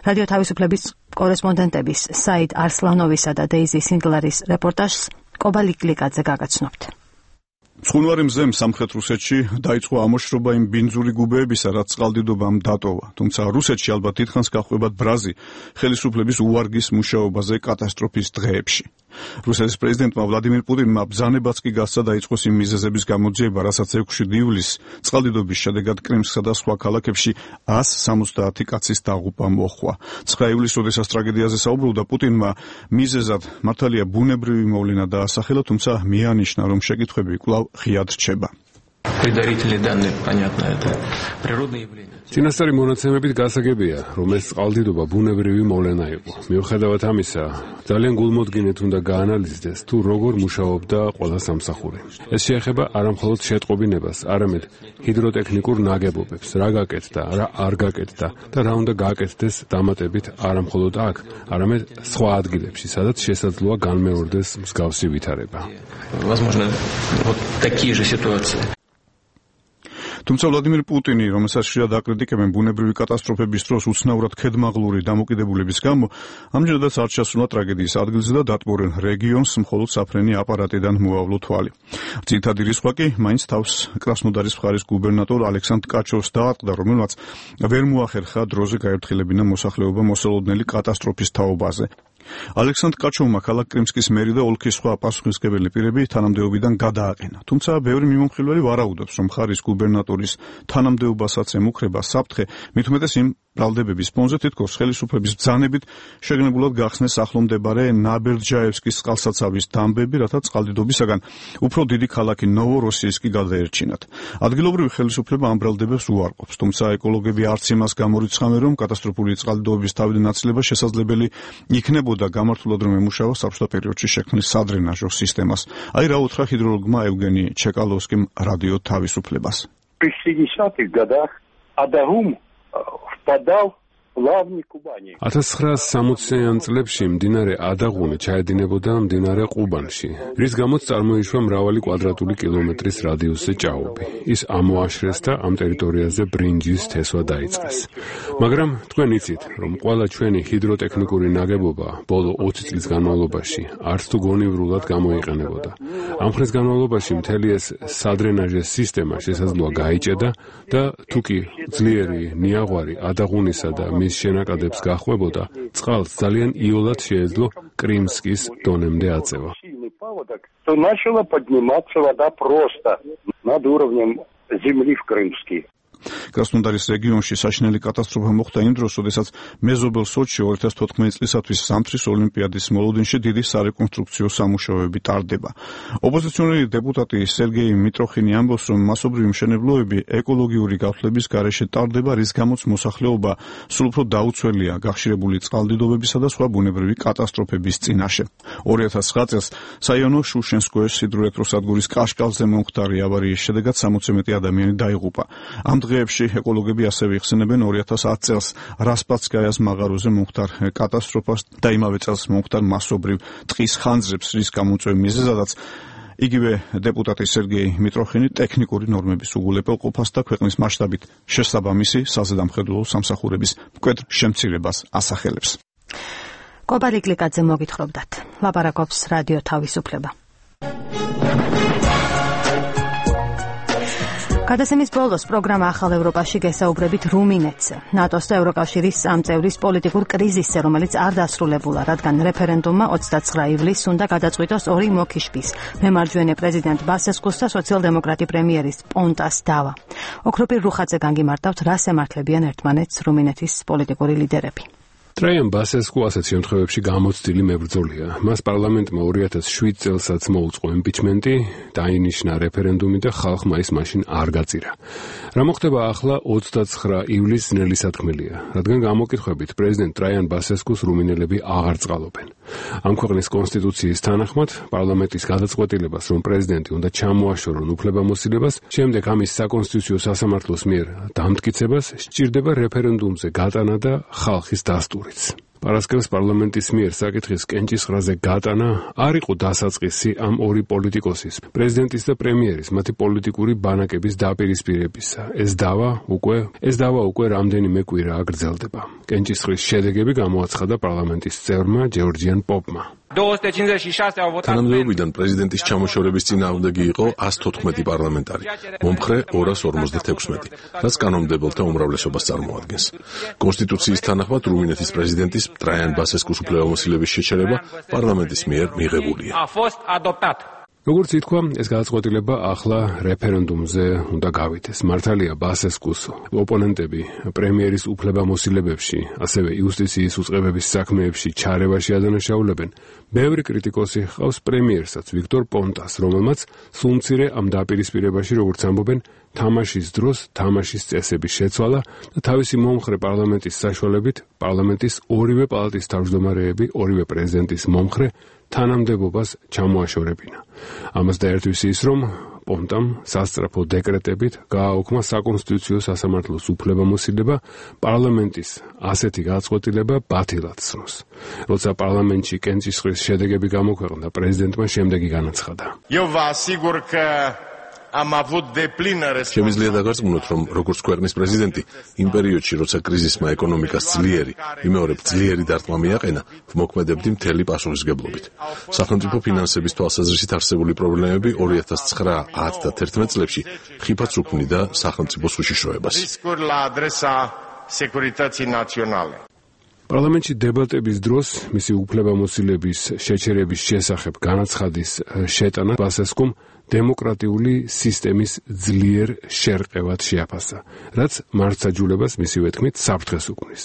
A: რადიო თავისუფლების კორესპონდენტების საიდ არსლანოვისა და დეიზი სინგლარის რეპორტაჟს კობალიკ ლიკაძე გაგაცნობთ.
B: ცხუნვარი მზემ სამხრეთ რუსეთში დაიწყო ამოშრობა იმ ბინძური გუბეებისა, რაც წყალდიდობამ დატოვა. თუმცა რუსეთში ალბათ დიდხანს გახვევათ ბრაზი ხელისუფლების უვარგის მუშაობაზე კატასტროფის დღეებში. რუსეთის პრეზიდენტმა ვლადიმირ პუტინმა ბრძანებაც კი გასცა დაიწყოს იმ მიზეზების გამოძიება, რასაც ექვსი ივლისს წყალდიდობის შედეგად კრიმსკსა და სხვა ქალაქებში ას სამოცდაათი კაცის დაღუპვა მოჰყვა. ცხრა ივლისს, როდესაც ტრაგედიაზე საუბრობდა, პუტინმა მიზეზად მართალია ბუნებრივი მოვლენა დაასახელა, თუმცა მიანიშნა, რომ შეკითხვები კვლავ ღიად რჩება.
H: წინასწარი მონაცემებით გასაგებია, რომ ეს წყალდიდობა ბუნებრივი მოვლენა იყო. მიუხედავად ამისა, ძალიან გულმოდგინედ უნდა გაანალიზდეს, თუ როგორ მუშაობდა ყველა სამსახური. ეს შეეხება არამხოლოდ შეტყობინებას, არამედ ჰიდროტექნიკურ ნაგებობებს, რა გაკეთდა, რა არ გაკეთდა და რა უნდა გააკეთდეს დამატებით არამხოლოდ აქ, არამედ სხვა ადგილებში, სადაც შესაძლოა განმეორდეს მსგავსი ვითარება.
P: Возможно, вот такие же ситуации.
B: თუმცა ვლადიმირ პუტინი, რომელსაც ხშირად აკრიტიკებენ ბუნებრივი კატასტროფების დროს უცნაურად ქედმაღლური დამოკიდებულების გამო, ამჯერადაც არ ჩასულა ტრაგედიის ადგილზე და დატბორენ რეგიონს მხოლოდ საფრენი აპარატიდან მოავლო თვალი. ძირითადი რისხვა კი მაინც თავს კრასნოდარის მხარის გუბერნატორ ალექსანდრ კაჩოვს დაატყდა, რომელმაც ვერ მოახერხა დროზე გაერთილებინა მოსახლეობა მოსალოდნელი კატასტროფის თაობაზე. ალექსანდრ კაჩოვმა ქალაქ კრიმსკის მერი და ოლქის სხვა პასუხისმგებელი პირები თანამდებობიდან გადააყენა. თუმცა ბევრი მიმომხილველი ვარაუდობს, რომ მხარის გუბერნატორის თანამდებობასაც ემუქრება საფრთხე, მით უმეტეს იმ ბრალდებების ფონზე თითქოს ხელისუფლების ბრძანებით შეგნებულად გახსნეს ახლომდებარე ნაბერჯაევსკის წყალსაცავის დამბები, რათა წყალდიდობისაგან უფრო დიდი ქალაქი ნოვოროსიისკი გადაერჩინათ. ადგილობრივი ხელისუფლება ამ ბრალდებებს უარყოფს, თუმცა ეკოლოგები არც იმას გამორიცხავენ, რომ კატასტროფული წყალდიდობის თავიდან აცილება შესაძლებელი იქნებოდა გამართულად რომ ემუშავა საბჭოთა პერიოდში შექმნილ სადრენაჟო სისტემას. აი რა უთხრა ჰიდროლოგმა ევგენი ჩეკალოვსკიმ რადიო თავისუფლებას.
Q: При шестидесятых годах Адагум впадал в плавни Кубани.
H: ათას ცხრაასი სამოციან წლებში მდინარე ადაღუნი ჩაედინებოდა მდინარე ყუბანში, რის გამოც წარმოიშვა მრავალი კვადრატული კილომეტრის რადიუსზე ჭაობი. ის ამოაშრეს და ამ ტერიტორიაზე ბრინჯის თესვა დაიწყეს. მაგრამ თქვენ იცით, რომ ყველა ჩვენი ჰიდროტექნიკური ნაგებობა ბოლო ოცი წლის განმავლობაში არც თუ გონივრულად გამოიყენებოდა. ამ ხნის განმავლობაში მთელი ეს სადრენაჟე სისტემა შესაძლოა გაიჭედა და თუ კი ძლიერი ნიაღვარი ადაღუნისა და მის შენაკადებს გახვებოდა, წყალს ძალიან იოლად შეეძლო კრიმსკის დონემდე აწევა.
Q: То начала подниматься вода просто над уровнем земли в Крымске.
B: კრასნოდარის რეგიონში საშინელი კატასტროფა მოხდა იმ დროს, როდესაც მეზობელ სოჩში ორი ათას თოთხმეტი წლისათვის ზამთრის ოლიმპიადის მოლოდინში დიდი სარეკონსტრუქციო სამუშაოები ტარდება. ოპოზიციონერი დეპუტატი სერგეი მიტროხინი ამბობს, რომ მასობრივი მშენებლობები ეკოლოგიური გაფრთხილების გარეშე ტარდება, რის გამოც მოსახლეობა სულ უფრო დაუცველია გახშირებული წყალდიდობებისა და სხვა ბუნებრივი კატასტროფების წინაშე. ორი ათას ცხრა წელს საიონო შუშენსკოეს ჰიდროელექტროსადგურის კაშკალზე მომხდარი ავარიის შედეგად სამოცი მეტი ადამიანი დაიღუპა. ამ დღეებში ეკოლოგები ასევე იხსენებენ ორი ათას ათი წელს რასპაცკაიას მაღაროზე მომხდარ კატასტროფას და იმავე წელს მომხდარ მასობრივ ტყის ხანძრებს, რის გამოწვევის მიზეზადაც იგივე დეპუტატი სერგეი მიტროხინი ტექნიკური ნორმების უგულებელყოფას და ქვეყნის მასშტაბით შესაბამისი საზედამხედველო სამსახურების მკვეთრ შემცირებას ასახელებს.
A: კობალიკ ლიკაძე მოგითხრობდათ. ლაპარაკობს რადიო თავისუფლება. გადაცემის ბოლოს პროგრამა ახალ ევროპაში გესაუბრებით რუმინეთზე, ნატოს და ევროკავშირის სამწევრის პოლიტიკურ კრიზისზე, რომელიც არ დასრულებულა, რადგან რეფერენდუმმა ოცდაცხრა ივლისს უნდა გადაწყვიტოს ორი მოკიშვის, მემარჯვენე პრეზიდენტ ბასესკუს და სოციალ-დემოკრატი პრემიერის პონტას დავა. ოქროპირ რუხაძე განგიმარტავთ, რას ემართლებიან ერთმანეთს რუმინეთის პოლიტიკური ლიდერები.
H: ტრაიან ბასესკუ ასეთ შემთხვევებში გამოცდილი მებრძოლია. მას პარლამენტმა ორი ათას შვიდ წელსაც მოუწყო იმპიჩმენტი, დაინიშნა რეფერენდუმი და ხალხმა ის მაშინ არ გაწირა. რა მოხდება ახლა ოცდაცხრა ივლისს ძნელი სათქმელია, რადგან გამოკითხვებით პრეზიდენტ ტრაიან ბასესკუს რუმინელები აღარ წყალობენ. ამ ქვეყნის კონსტიტუციის თანახმად პარლამენტის გადაწყვეტილებას, რომ პრეზიდენტი უნდა ჩამოაშორონ უფლებამოსილებას, შემდეგ ამის საკონსტიტუციო სასამართლოს მიერ დამტკიცებას სჭირდება რეფერენდუმზე გატანა და ხალხის დასტურიც. პარასკევს პარლამენტის მიერ საკითხის კენჭისყრაზე გატანა არ იყო დასაწყისი ამ ორი პოლიტიკოსის, პრეზიდენტის და პრემიერის, მათი პოლიტიკური ბანაკების დაპირისპირებისა. ეს დავა უკვე ეს დავა უკვე რამდენიმე კვირა გრძელდება. კენჭისყრის შედეგები გამოაცხადა პარლამენტის წევრმა ჯორჯიან პოპმა.
R: თანამდებობიდან პრეზიდენტის ჩამოშორების წინააღმდეგი იყო ასი თოთხმეტი პარლამენტარი, მომხრე ორას ორმოცდათექვსმეტი, რაც კანონმდებელთა უმრავლესობას წარმოადგენს. კონსტიტუციის თანახმად რუმინეთის პრეზიდენტის ტრაიან ბასესკუს უფლებამოსილების შეჩერება პარლამენტის მიერ მიღებულია.
H: როგორც ითქვა, ეს გადაწყვეტილება ახლა რეფერენდუმზე უნდა გავითეს. მართალია ბასესკუს ოპონენტები პრემიერის უფლებამოსილებებში, ასევე იუსტიციის უწყებების საქმეებში ჩარევაში ადანაშაულებენ. ბევრი კრიტიკოსი ჰყავს პრემიერსაც ვიქტორ პონტას, რომელმაც სულ მცირე ამ დაპირისპირებაში, როგორც ამბობენ, თამაშის დროს თამაშის წესების შეცვალა და თავისი მომხრე პარლამენტის საშუალებით პარლამენტის ორივე პალატის თავმჯდომარეები, ორივე პრეზიდენტის მომხრე თანამდებობას ჩამოაშორებინა. ამას დაერთვის ის, რომ პონტამ სასწრაფო დეკრეტებით გააუქმა საკონსტიტუციო სასამართლოს უფლებამოსილება პარლამენტის ასეთი გადაწყვეტილება ბათილად სროს. როცა პარლამენტში კენჭისყრის შედეგები გამოქვეყნდა, პრეზიდენტმა შემდეგი განაცხადა.
R: შემიძლია დაგარწმუნოთ, რომ როგორც ქვეყნის პრეზიდენტი, იმ პერიოდში, როცა კრიზისმა ეკონომიკას ძლიერი, ვიმეორებ ძლიერი დარტყმა მიაყენა, ვმოქმედებდი მთელი პასუხისგებლობით. სახელმწიფო ფინანსების თვალსაზრისით არსებული პრობლემები ორი ათას ცხრა, ათი და თერთმეტ წლებში ხიფათს უქმნიდა სახელმწიფოს უშიშროებას.
H: პარლამენტში დებატების დროს მისი უფლებამოსილების შეჩერების შესახებ განაცხადის შეტანა ბასესკუმ დემოკრატიული სისტემის ძლიერ შერყევად შეაფასა, რაც მართლმსაჯულებას მისივე თქმით საფრთხეს უქმნის.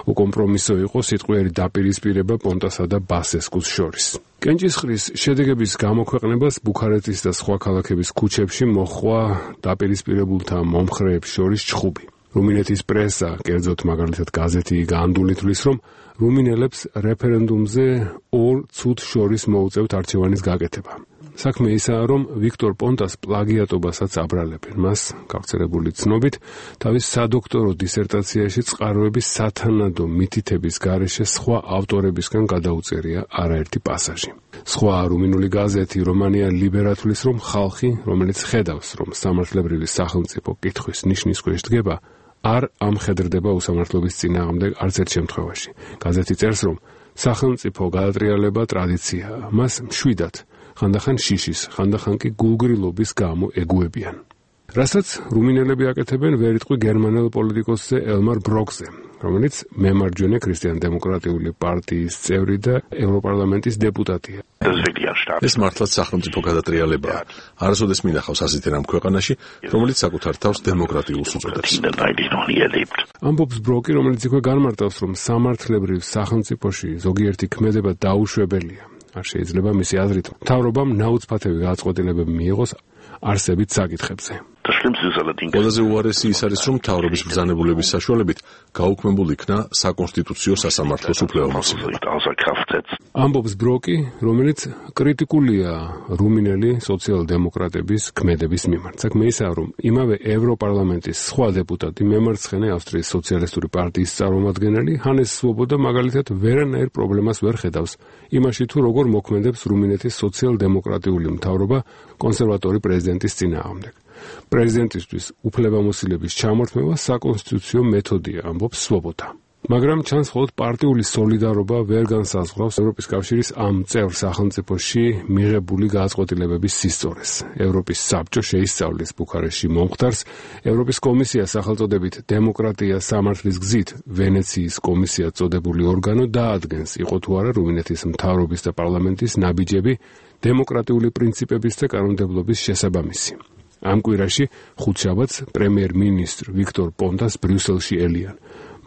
H: უკომპრომისო იყო სიტყვიერი დაპირისპირება პონტასა და ბასესკუს შორის. კენჭისყრის შედეგების გამოქვეყნებას ბუქარესტის და სხვა ქალაქების ქუჩებში მოჰყვა დაპირისპირებულთა მომხრეებს შორის ჩხუბი. რუმინეთის პრესა, კერძოდ მაგალითად გაზეთი განდული თვლის, რომ რუმინელებს რეფერენდუმზე ორ ცუდ შორის მოუწევთ არჩევანის გაკეთება. საქმე ისაა, რომ ვიქტორ პონტას პლაგიატობასაც აბრალებენ. მას, გავრცელებული ცნობით, თავის სადოქტორო დისერტაციაში წყაროების სათანადო მითითების გარეშე სხვა ავტორებისგან გადაუწერია არაერთი პასაჟი. სხვა რუმინული გაზეთი რომანია ლიბერა თვლის, რომ ხალხი, რომელიც ხედავს, რომ სამართლებრივი სახელმწიფო კითხვის ნიშნის ქვეშ დგება, არ ამხედრდება უსამართლობის წინააღმდეგ არც ერთ შემთხვევაში. გაზეთი წერს, რომ სახელმწიფო გადატრიალება ტრადიციაა, მას მშვიდად ხანდახან შიშის, ხანდახან კი გულგრილობის გამო ეგუებიან. რასაც რუმინელები აკეთებენ ვერიტყვი გერმანელ პოლიტიკოსზე ელმარ ბროკზე, რომელიც მემარჯვენე ქრისტიან-დემოკრატიული პარტიის წევრი და ევროპარლამენტის დეპუტატია.
R: ეს მართლაც სახელმწიფო გადატრიალებაა. არასოდეს მინახავს ასეთი რამ ქვეყანაში, რომელიც საკუთარ თავს დემოკრატიულს უწოდებს.
H: ამბობს ბროკი, რომელიც იქვე განმარტავს, რომ სამართლებრივ სახელმწიფოში ზოგიერთი ქმედება დაუშვებელია. არ შეიძლება მისი აზრით მთავრობამ ნაუცფათევი გადაწყვეტილებები მიიღოს არსებით საკითხებზე.
R: ყველაზე უარესი ის არის, რომ მთავრობის ბრძანებულების საშუალებით გაუქმებულ იქნა საკონსტიტუციო სასამართლოს უფლებამოსილება.
H: ამბობს ბროკი, რომელიც კრიტიკულია რუმინელი სოციალ-დემოკრატების ქმედების მიმართ. საქმე ისაა, რომ იმავე ევროპარლამენტის სხვა დეპუტატი, მემარცხენე ავსტრიის სოციალისტური პარტიის წარმომადგენელი ჰანეს სვობოდა მაგალითად ვერანაირ პრობლემას ვერ ხედავს იმაში, თუ როგორ მოქმედებს რუმინეთის სოციალ-დემოკრატიული მთავრობა კონსერვატორი პრეზიდენტის წინააღმდეგ. პრეზიდენტისთვის უფლებამოსილების ჩამორთმევა საკონსტიტუციო მეთოდია, ამბობს სვობოდა. მაგრამ ჩანს მხოლოდ პარტიული სოლიდარობა ვერ განსაზღვრავს ევროპის კავშირის ამ წევრ სახელმწიფოში მიღებული გადაწყვეტილებების სისწორეს. ევროპის საბჭო შეისწავლის ბუქარესტში მომხდარს, ევროპის კომისია სახელწოდებით დემოკრატია სამართლის გზით ვენეციის კომისია წოდებული ორგანო დაადგენს, იყო თუ არა რუმინეთის მთავრობის და პარლამენტის ნაბიჯები დემოკრატიული პრინციპების და კანონმდებლობის შესაბამისი. ამ კვირაში ხუთშაბათს პრემიერ-მინისტრ ვიქტორ პონტას ბრიუსელში ელიან.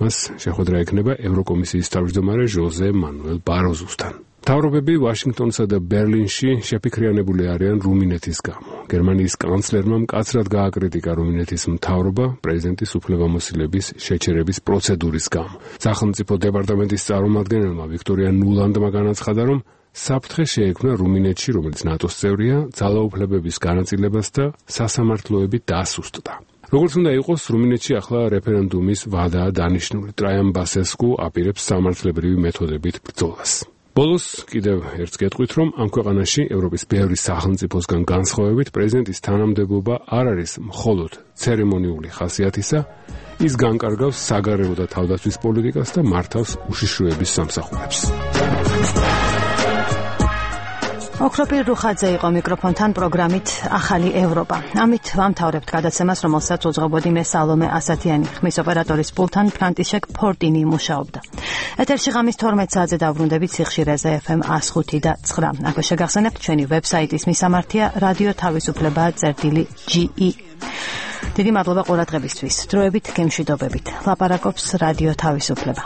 H: მას შეხვედრა ექნება ევროკომისიის თავმჯდომარე ჟოზე მანუელ ბაროზუსთან. მთავრობები ვაშინგტონსა და ბერლინში შეფიქრიანებული არიან რუმინეთის გამო. გერმანიის კანცლერმა მკაცრად გააკრიტიკა რუმინეთის მთავრობა პრეზიდენტის უფლებამოსილების შეჩერების პროცედურის გამო. სახელმწიფო დეპარტამენტის წარმომადგენელმა ვიქტორია ნულანდმა განაცხადა, რომ საფრთხე შეექმნა რუმინეთში, რომელიც ნატოს წევრია, ძალაუფლებების განაწილებას და სასამართლოები დასუსტდა. როგორც უნდა იყოს, რუმინეთში ახლა რეფერენდუმის ვადაა დანიშნული. ტრაიან ბასესკუ აპირებს სამართლებრივი მეთოდებით ბრძოლას. ბოლოს კიდევ ერთს გეტყვით, რომ ამ ქვეყანაში ევროპის ბევრი სახელმწიფოსგან განსხვავებით პრეზიდენტის თანამდებობა არ არის მხოლოდ ცერემონიული ხასიათისა, ის განკარგავს საგარეო და თავდაცვის პოლიტიკას და მართავს უშიშროების სამსახურებს.
A: ოქროპირ რუხაძე იყო მიკროფონთან პროგრამით ახალი ევროპა. ამით ვამთავრებთ გადაცემას, რომელსაც უძღვებოდი მე სალომე ასათიანი, ხმის ოპერატორის პულთან ფრანტიშეკ ფორტინი მუშაობდა. ეთერში ღამის თორმეტ საათზე დავბრუნდებით სიხშირეზე ეფემ one oh five და nine. აქვე შეგახსენებთ ჩვენი ვებსაიტის მისამართია რადიო თავისუფლება წერტილი ჯი ი. დიდი მადლობა ყურადღებისთვის. დროებით გემშვიდობებით. ლაპარაკობს რადიო თავისუფლება.